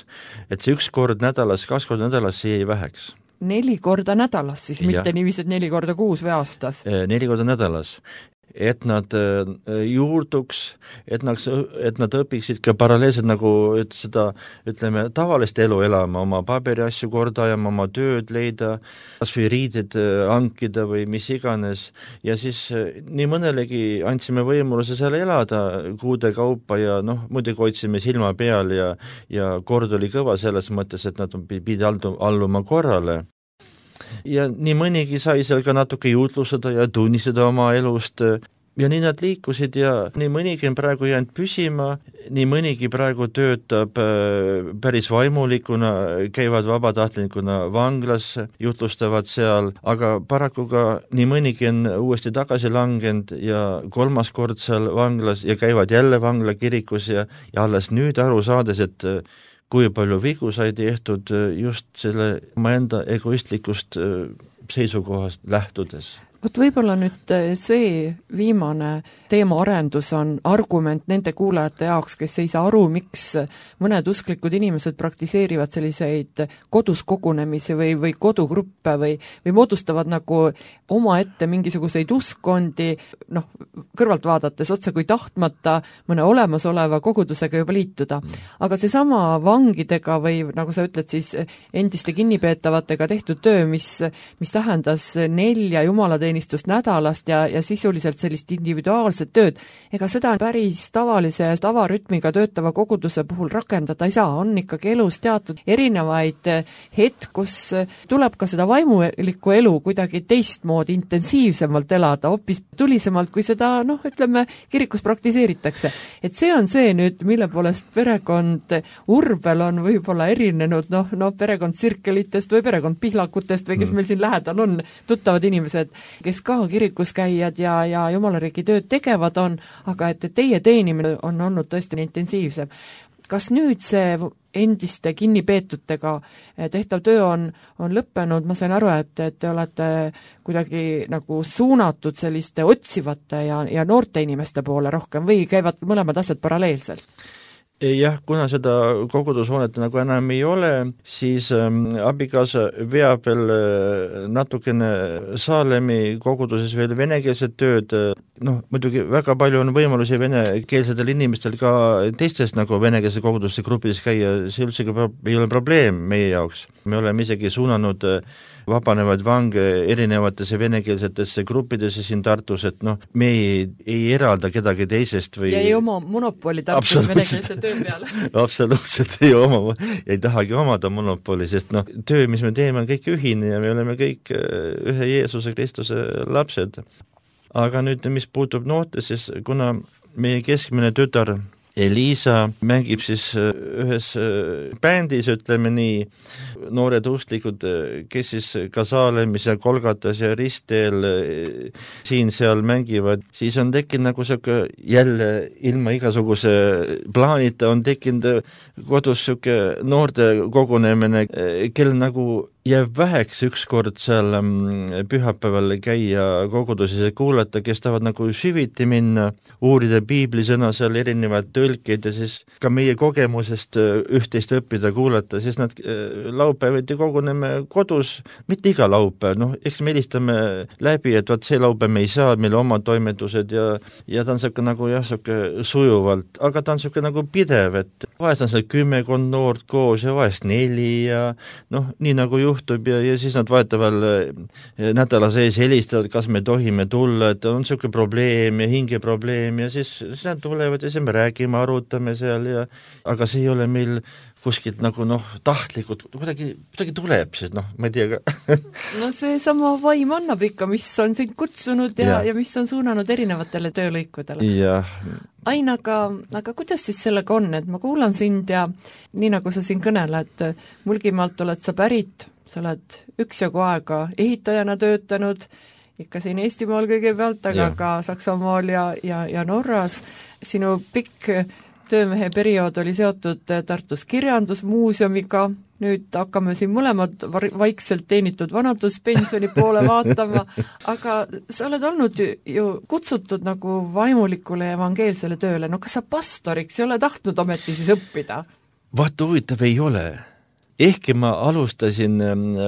et see 1 kord nädalas, 2 korda nädalas see jäi väheks. 4 korda nädalas siis, mitte niiviisi, et 4 korda kuus või aastas? 4 korda nädalas. Et nad juurduks, et nad õpiksid ka paralleelselt nagu seda, ütleme, tavalist elu elama, oma paberiasju korda ajama, oma tööd leida, kas või riided hankida või mis iganes. Ja siis nii mõnelegi andsime võimaluse seal elada kuude kaupa ja muidugi hoidsime silma peal ja kord oli kõva selles mõttes, et nad pidi alluma korrale. Ja nii mõnigi sai seal ka natuke juutlustada ja tunnistada oma elust ja nii nad liikusid ja nii mõnigi on praegu jäänud püsima, nii mõnigi praegu töötab päris vaimulikuna, käivad vabatahtlikuna vanglas, jutlustavad seal, aga paraku ka nii mõnigi on uuesti tagasi langenud ja 3. kord seal vanglas ja käivad jälle vangla kirikus ja alles nüüd aru saades, et kui palju vigu sai tehtud just selle omaenda egoistlikust seisukohast lähtudes. Vot võib-olla nüüd see viimane teemaarendus on argument nende kuulajate jaoks, kes ei saa aru, miks mõned usklikud inimesed praktiseerivad selliseid kodus kogunemisi või kodugruppe või moodustavad nagu omaette mingisuguseid uskondi, kõrvalt vaadates otse kui tahtmata mõne olemasoleva kogudusega juba liituda. Aga seesama vangidega või nagu sa ütled siis endiste kinnipeetavatega tehtud töö, mis tähendas 4 jumalateenistust nädalast ja sisuliselt sellist individuaalset tööd, ega seda päris tavalise tavarütmiga töötava koguduse puhul rakendada ei saa, on ikkagi elus teatud erinevaid hetk, kus tuleb ka seda vaimulikku elu kuidagi teistmoodi intensiivsemalt elada, hoopis tulisemalt, kui seda, ütleme, kirikus praktiseeritakse. Et see on see nüüd, mille poolest perekond Urbel on võib-olla erinenud, perekond Sirkelitest või perekond Pihlakutest või kes meil siin lähedal on, tuttavad inimesed, kes ka kirikus käijad ja jumalariigi tööd tegevad on, aga et teie teenimine on olnud tõesti intensiivsem. Kas nüüd see endiste kinnipeetutega tehtav töö on lõppenud? Ma sain aru, et te olete kuidagi nagu suunatud selliste otsivate ja noorte inimeste poole rohkem või käivad mõlemad asjad paralleelselt? Jah, kuna seda kogudushoonete nagu enam ei ole, siis abikaasa veab veel natukene Saalemi koguduses veel venekeelset tööd. Muidugi väga palju on võimalusi venekeelsetel inimestel ka teistes nagu venekeelse koguduse gruppides käia, see üldse ei ole probleem meie jaoks. Me oleme isegi suunanud vabanevaid vange erinevatesse venekeelsetesse gruppidesse siin Tartus, et me ei eralda kedagi teisest või... Ja ei oma monopoli Tartus venekeelse töö peale. Absoluutselt ei oma, ei tahagi omada monopoli, sest töö, mis me teeme, on kõik ühine ja me oleme kõik ühe Jeesuse Kristuse lapsed. Aga nüüd, mis puutub noorte, siis kuna meie keskmine tütar Eliisa mängib siis ühes bändis, ütleme nii, noored ustlikud, kes siis ka Saalemis ja Kolgatas ja Ristteel siin-seal mängivad, siis on tekkinud nagu selline jälle ilma igasuguse plaanita on tekkinud kodus selline noorte kogunemine, kel nagu jääb väheks ükskord seal pühapäeval käia koguduses ja kuulata, kes tahavad nagu süviti minna, uurida piiblisõna seal erinevaid tõlkeid ja siis ka meie kogemusest üht-teist õppida, kuulata, siis nad laupäeviti koguneme kodus, mitte iga laupäev, eks me helistame läbi, et vaat see laupäev me ei saa, meil oma toimetused ja ta on siuke nagu siuke sujuvalt, aga ta on siuke nagu pidev, et vahest on seal 10 noort koos ja vahest 4 ja nii nagu juhtub ja siis nad vahetavalt nädala sees helistavad, kas me tohime tulla, et on siuke probleem ja hingeprobleem ja siis nad tulevad ja siis me räägime, arutame seal aga see ei ole meil kuskilt nagu tahtlikult, kuidagi tuleb siis, ma ei tea ka. See sama vaim annab ikka, mis on sind kutsunud ja mis on suunanud erinevatele töölõikudele. Ain, aga kuidas siis sellega on, et ma kuulan sind ja nii nagu sa siin kõneled, Mulgimaalt oled sa pärit, sa oled üksjagu aega ehitajana töötanud, ikka siin Eestimaal kõigepealt, aga ka Saksamaal ja Norras. Sinu pikk töömehe periood oli seotud Tartus kirjandusmuuseumiga, nüüd hakkame siin mõlemad vaikselt teenitud vanaduspensioni poole vaatama, aga sa oled olnud ju kutsutud nagu vaimulikule evangeelsele tööle, kas sa pastoriks ei ole tahtnud ometi siis õppida? Vaata, huvitav ei ole. Ehkki ma alustasin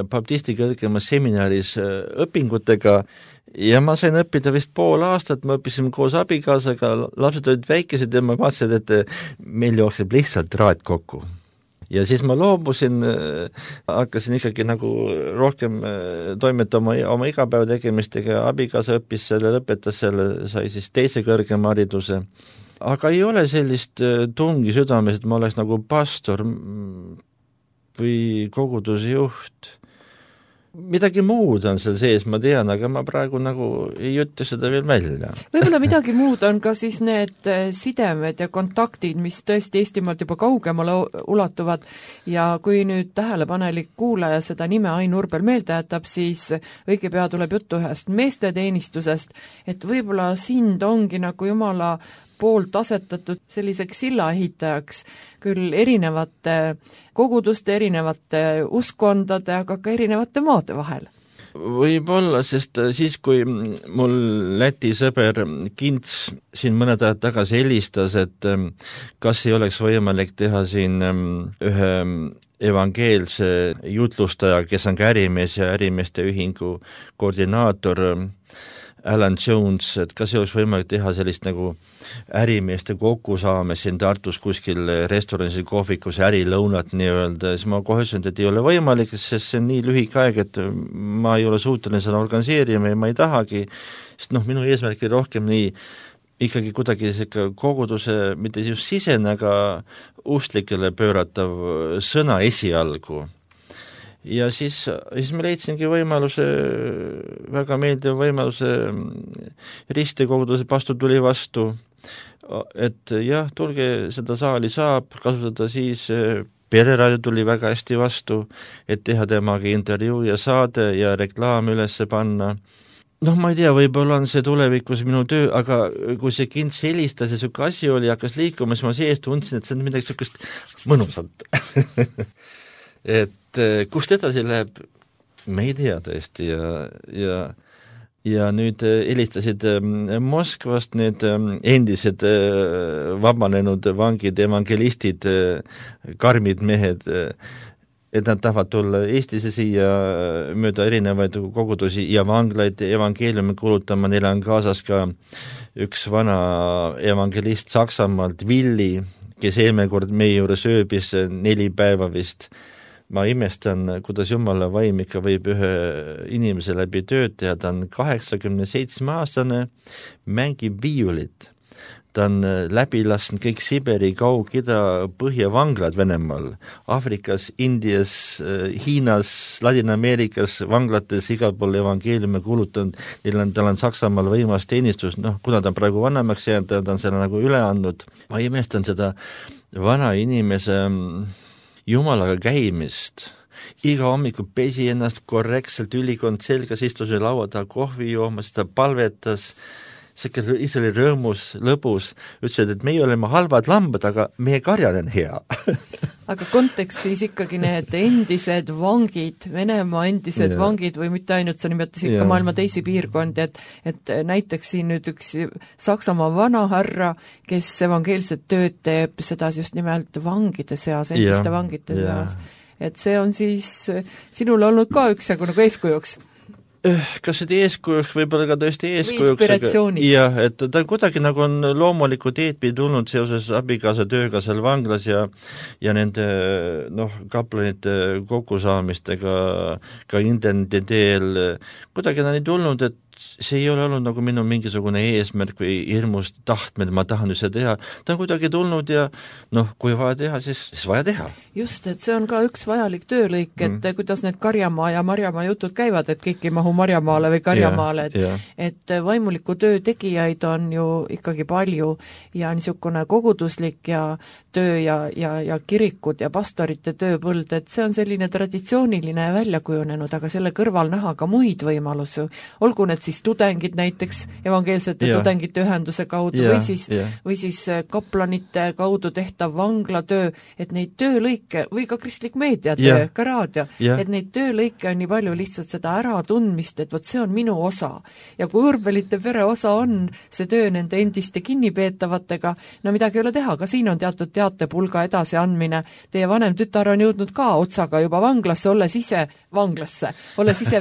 baptisti kõrgemas seminaris õpingutega ja ma sain õppida vist pool aastat, ma õppisin koos abikaasaga, lapsed olid väikesed ja ma vaatasin, et meil jookseb lihtsalt raad kokku. Ja siis ma loobusin, hakkasin ikkagi nagu rohkem toimetama oma igapäeva tegemistega, abikaasa õppis selle, lõpetas selle, sai siis teise kõrgema hariduse. Aga ei ole sellist tungi südames, et ma oleks nagu pastor või koguduse juht. Midagi muud on seal sees, ma tean, aga ma praegu nagu ei ütle seda veel välja. Võib-olla midagi muud on ka siis need sidemed ja kontaktid, mis tõesti Eestimaalt juba kaugemale ulatuvad ja kui nüüd tähelepanelik kuulaja seda nime Ain Urbel meelde jätab, siis õige pea tuleb juttu ühest meesteteenistusest, et võib-olla sind ongi nagu Jumala poolt asetatud selliseks sillaehitajaks küll erinevate koguduste, erinevate uskondade, aga ka erinevate maade vahel. Võib-olla, sest siis, kui mul Läti sõber Kints siin mõned ajad tagasi helistas, et kas ei oleks võimalik teha siin ühe evangeelse jutlustaja, kes on ka ärimees ja ärimeeste ühingu koordinaator Alan Jones, et kas ei oleks võimalik teha sellist nagu ärimeeste kokkusaames siin Tartus kuskil restoranis või kohvikus ärilõunat nii-öelda, siis ma kohe ütlesin, et ei ole võimalik, sest see on nii lühike aeg, et ma ei ole suuteline seda organiseerima ja ma ei tahagi, sest minu eesmärk oli rohkem nii ikkagi kuidagi koguduse, mitte just sisene, aga ustlikele pööratav sõna esialgu. Ja siis me leidsingi võimaluse, väga meeldiv võimaluse, ristikoguduse pastor tuli vastu, et jah, tulge, seda saali saab kasutada, siis Pereraadio tuli väga hästi vastu, et teha temaga intervjuu ja saade ja reklaam üles panna. Ma ei tea, võib-olla on see tulevikus minu töö, aga kui see Kints helistas ja siuke asi oli, hakkas liikuma, siis ma sees tundsin, et see on midagi siukest mõnusat. Et kust edasi läheb, me ei tea tõesti ja nüüd helistasid Moskvast need endised vabanenud vangid, evangelistid, karmid mehed, et nad tahavad tulla Eestisse siia mööda erinevaid kogudusi ja vanglaid evangeeliumi kuulutama, neil on kaasas ka üks vana evangelist Saksamaalt, Willi, kes eelmine kord meie juures ööbis 4 päeva vist. Ma imestan, kuidas Jumala vaim ikka võib ühe inimese läbi tööd teha, ta on 87-aastane, mängib viiulit. Ta on läbi lasknud kõik Siberi, Kaug-Ida, Põhjavanglad Venemaal, Aafrikas, Indias, Hiinas, Ladina-Ameerikas, vanglates igal pool evangeeliumi kuulutanud, tal on Saksamaal võimas teenistus, kuna ta on praegu vanemaks jäänud, ta on selle nagu üle andnud. Ma imestan seda vana inimese Jumalaga käimist. Iga hommiku pesi ennast korrektselt, ülikond selgas, istus laua taha kohvi joomas, ta palvetas, see ise oli rõõmus, lõbus, ütlesid, et meie oleme halvad lambad, aga meie karjal on hea. aga kontekst siis ikkagi need endised vangid, Venemaa endised vangid või mitte ainult, sa nimetasid ka maailma teisi piirkondi, et näiteks siin nüüd üks Saksamaa vanahärra, kes evangeelset tööd teeb, seda just nimelt vangide seas, endiste vangide seas. Et see on siis sinul olnud ka üksjagu nagu eeskujuks. Kas see eeskujuks, võib-olla ka tõesti eeskujuks, jah, et ta kuidagi nagu on loomuliku teedpi tulnud seoses abikaasa tööga seal vanglas ja nende kaplanite kokkusaamistega ka interneti teel, kuidagi ta on tulnud, et see ei ole olnud nagu minu mingisugune eesmärk või hirmust tahtmed, ma tahan ju seda teha, ta on kuidagi tulnud ja kui vaja teha, siis vaja teha. Just, et see on ka üks vajalik töölõik, et kuidas need Karjamaa ja Marjamaa jutud käivad, et kõik ei mahu Marjamaale või Karjamaale, et vaimuliku töö tegijaid on ju ikkagi palju ja niisugune koguduslik ja töö ja kirikud ja pastorite tööpõld, et see on selline traditsiooniline välja kujunenud, aga selle kõrval näha ka muid võimalusi, olgu need siis tudengid näiteks evangeelsete tudengite ühenduse kaudu või siis kaplanite kaudu tehtav vanglatöö, et neid töölõike või ka kristlik meediatöö, ka raadio, et neid töölõike on nii palju lihtsalt seda äratundmist, et vot see on minu osa. Ja kui Urbelite pere osa on see töö nende endiste kinnipeetavatega, no midagi ei ole teha, ka siin on teatud teatepulga edasiandmine. Teie vanem tütar on jõudnud ka otsaga juba vanglasse, olles ise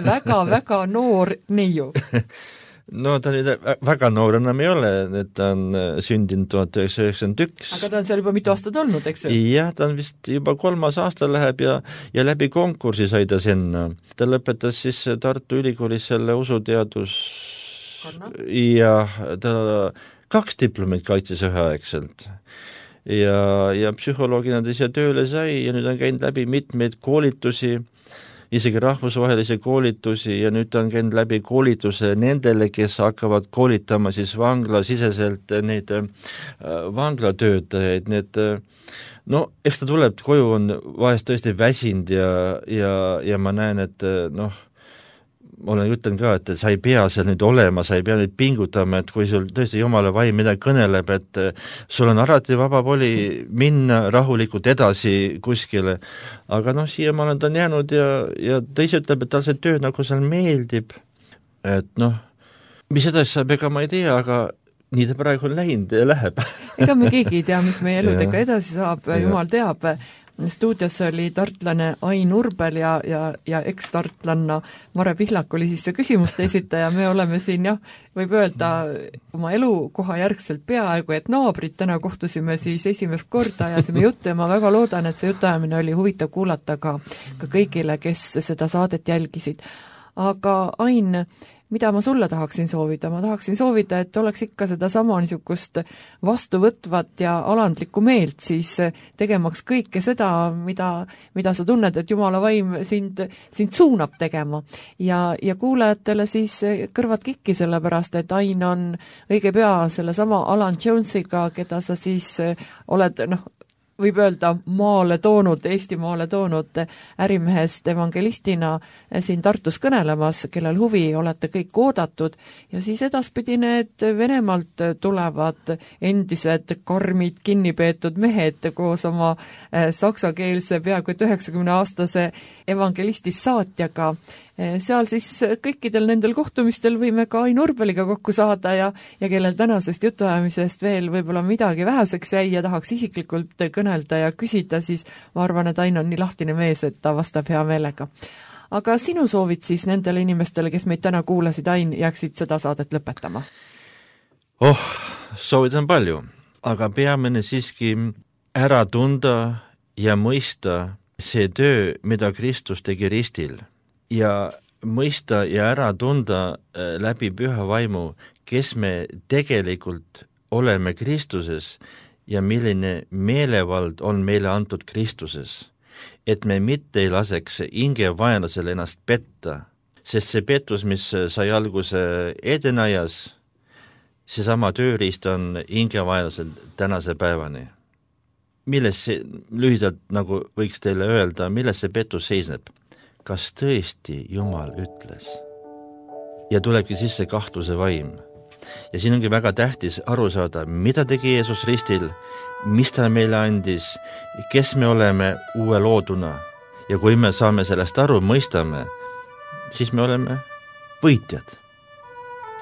väga-väga noor neiu. No ta nüüd väga noor enam ei ole, et ta on sündinud 1991. Aga ta on seal juba mitu aastat olnud, eks ju? Jah, ta on vist juba 3. aasta läheb ja läbi konkursi sai ta sinna. Ta lõpetas siis Tartu Ülikoolis selle usuteadus ja ta 2 diplomit kaitses üheaegselt. Ja psühholoogina ta ise tööle sai ja nüüd on käinud läbi mitmeid koolitusi, isegi rahvusvahelisi koolitusi ja nüüd on käinud läbi koolituse nendele, kes hakkavad koolitama siis vanglasiseselt neid vanglatöötajaid, eks ta tuleb koju, on vahest tõesti väsinud ja ma näen, et ütlen ka, et sa ei pea seal nüüd olema, sa ei pea nüüd pingutama, et kui sul tõesti Jumala vaim midagi kõneleb, et sul on alati vaba voli minna rahulikult edasi kuskile. Aga siiamaale ta on jäänud ja ta ise ütleb, et tal see töö nagu seal meeldib. Et mis edasi saab, ega ma ei tea, aga nii ta praegu on läinud ja läheb. Ega me keegi ei tea, mis meie eludega edasi saab, Jumal teab. Stuudios oli tartlane Ain Urbel ja eks-tartlanna Mare Pihlak oli siis see küsimuste esitaja. Me oleme siin, võib öelda, oma elukoha järgselt peaaegu, et naabrid. Täna kohtusime siis esimest korda ja ajasime juttu ja ma väga loodan, et see jutuajamine oli huvitav kuulata ka kõigile, kes seda saadet jälgisid. Aga Ain, mida ma sulle tahaksin soovida? Ma tahaksin soovida, et oleks ikka seda sama niisugust vastuvõtvat ja alandlikku meelt siis tegemaks kõike seda, mida sa tunned, et Jumala vaim sind suunab tegema. Ja kuulajatele siis kõrvad kikki sellepärast, et Ain on õige pea selle sama Alan Jonesiga, keda sa siis oled, võib öelda Eesti maale toonud ärimehest evangelistina siin Tartus kõnelemas, kellel huvi olete kõik oodatud ja siis edaspidi need Venemaalt tulevad endised karmid kinnipeetud mehed koos oma saksakeelse peaaegu 90-aastase evangelistist saatjaga. Seal siis kõikidel nendel kohtumistel võime ka Ain Urbeliga kokku saada ja kellel tänasest jutuajamisest veel võib-olla midagi väheseks jäi ja tahaks isiklikult kõnelda ja küsida, siis ma arvan, et Ain on nii lahtine mees, et ta vastab hea meelega. Aga sinu soovid siis nendele inimestele, kes meid täna kuulasid, Ain, jääksid seda saadet lõpetama? Soovid on palju, aga peamine siiski ära tunda ja mõista see töö, mida Kristus tegi ristil. Ja mõista ja ära tunda läbi püha vaimu, kes me tegelikult oleme Kristuses ja milline meelevald on meile antud Kristuses. Et me mitte ei laseks hingevaenlasele ennast petta, sest see pettus, mis sai alguse Edenajas, see sama tööriist on hingevaenlasel tänase päevani. Milles see, lühidalt nagu võiks teile öelda, milles see pettus seisneb? Kas tõesti Jumal ütles? Ja tulebki sisse kahtluse vaim. Ja siin ongi väga tähtis aru saada, mida tegi Jeesus ristil, mis ta meile andis, kes me oleme uue looduna. Ja kui me saame sellest aru, mõistame, siis me oleme võitjad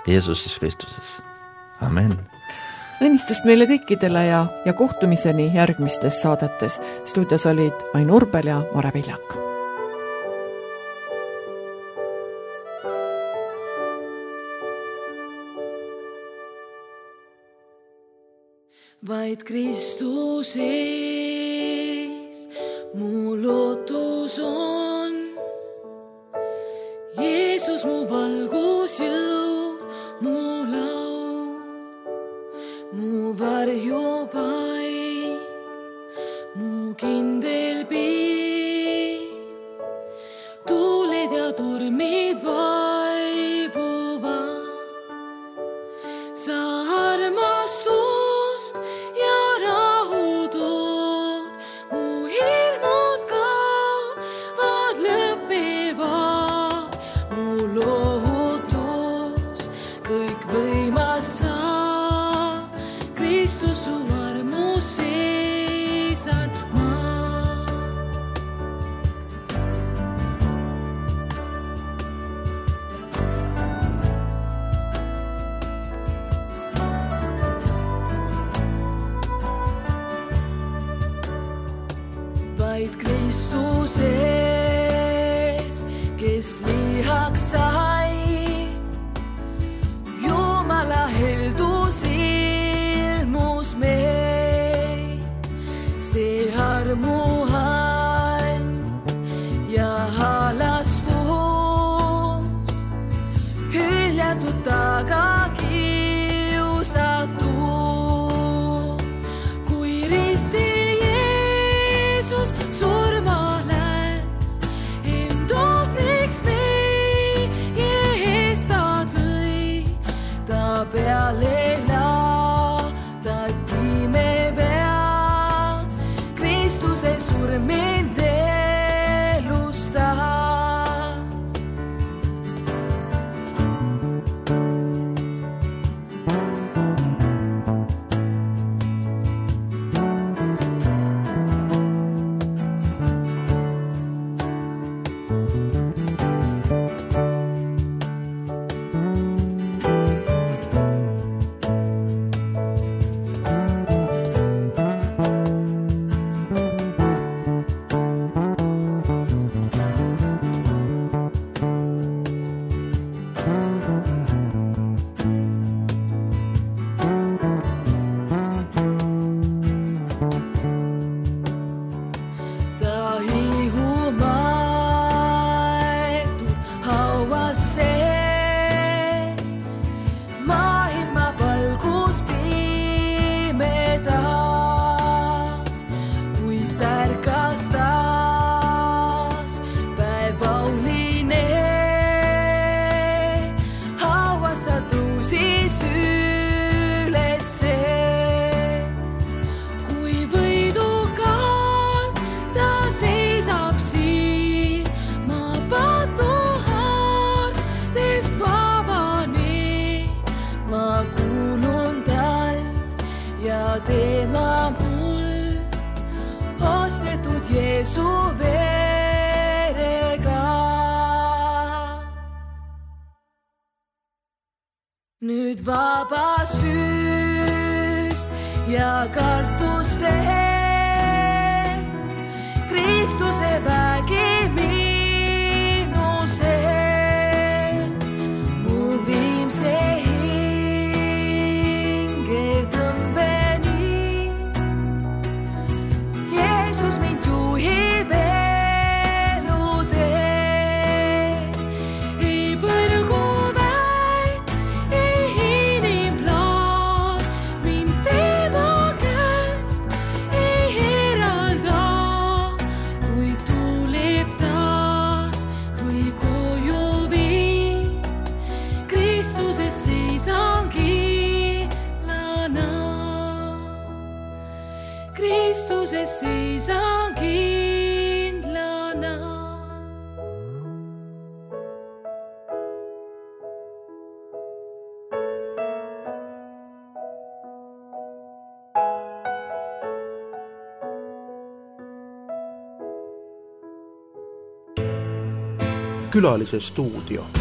Jeesuses Kristuses. Amen. Õnnistust meile kõikidele ja kohtumiseni järgmistes saadetes. Stuudios olid Ain Urbel ja Mare Viljak. Vaid Kristuses mu lootus on. Jeesus mu valgus jõud, mu laul, mu varjupaik, mu kindel piir. Tuuled ja tormid vaibuvad, sa armastust ja rahu tood, mu hirmud kaovad, lõpevad, mu lootus kõik võimas sa, Kristus su armus seisan ma. Vaid Kristuses, kes lihaks sai, Jumala heldus ilmus meil. See armuhan ja halastus, hüljatud taga kiusatud, kui ristil Jeesus surma läks, end ohvriks meie eest ta tõi, ta peale laadati me pead, Kristuse surm mind elustas. Tema mul ostetud Jeesu verega. Nüüd vaba süüst ja kartustest, Kristuse vägi minu sees, mu viimse Kristuses seisan kindlana. Külalise stuudio.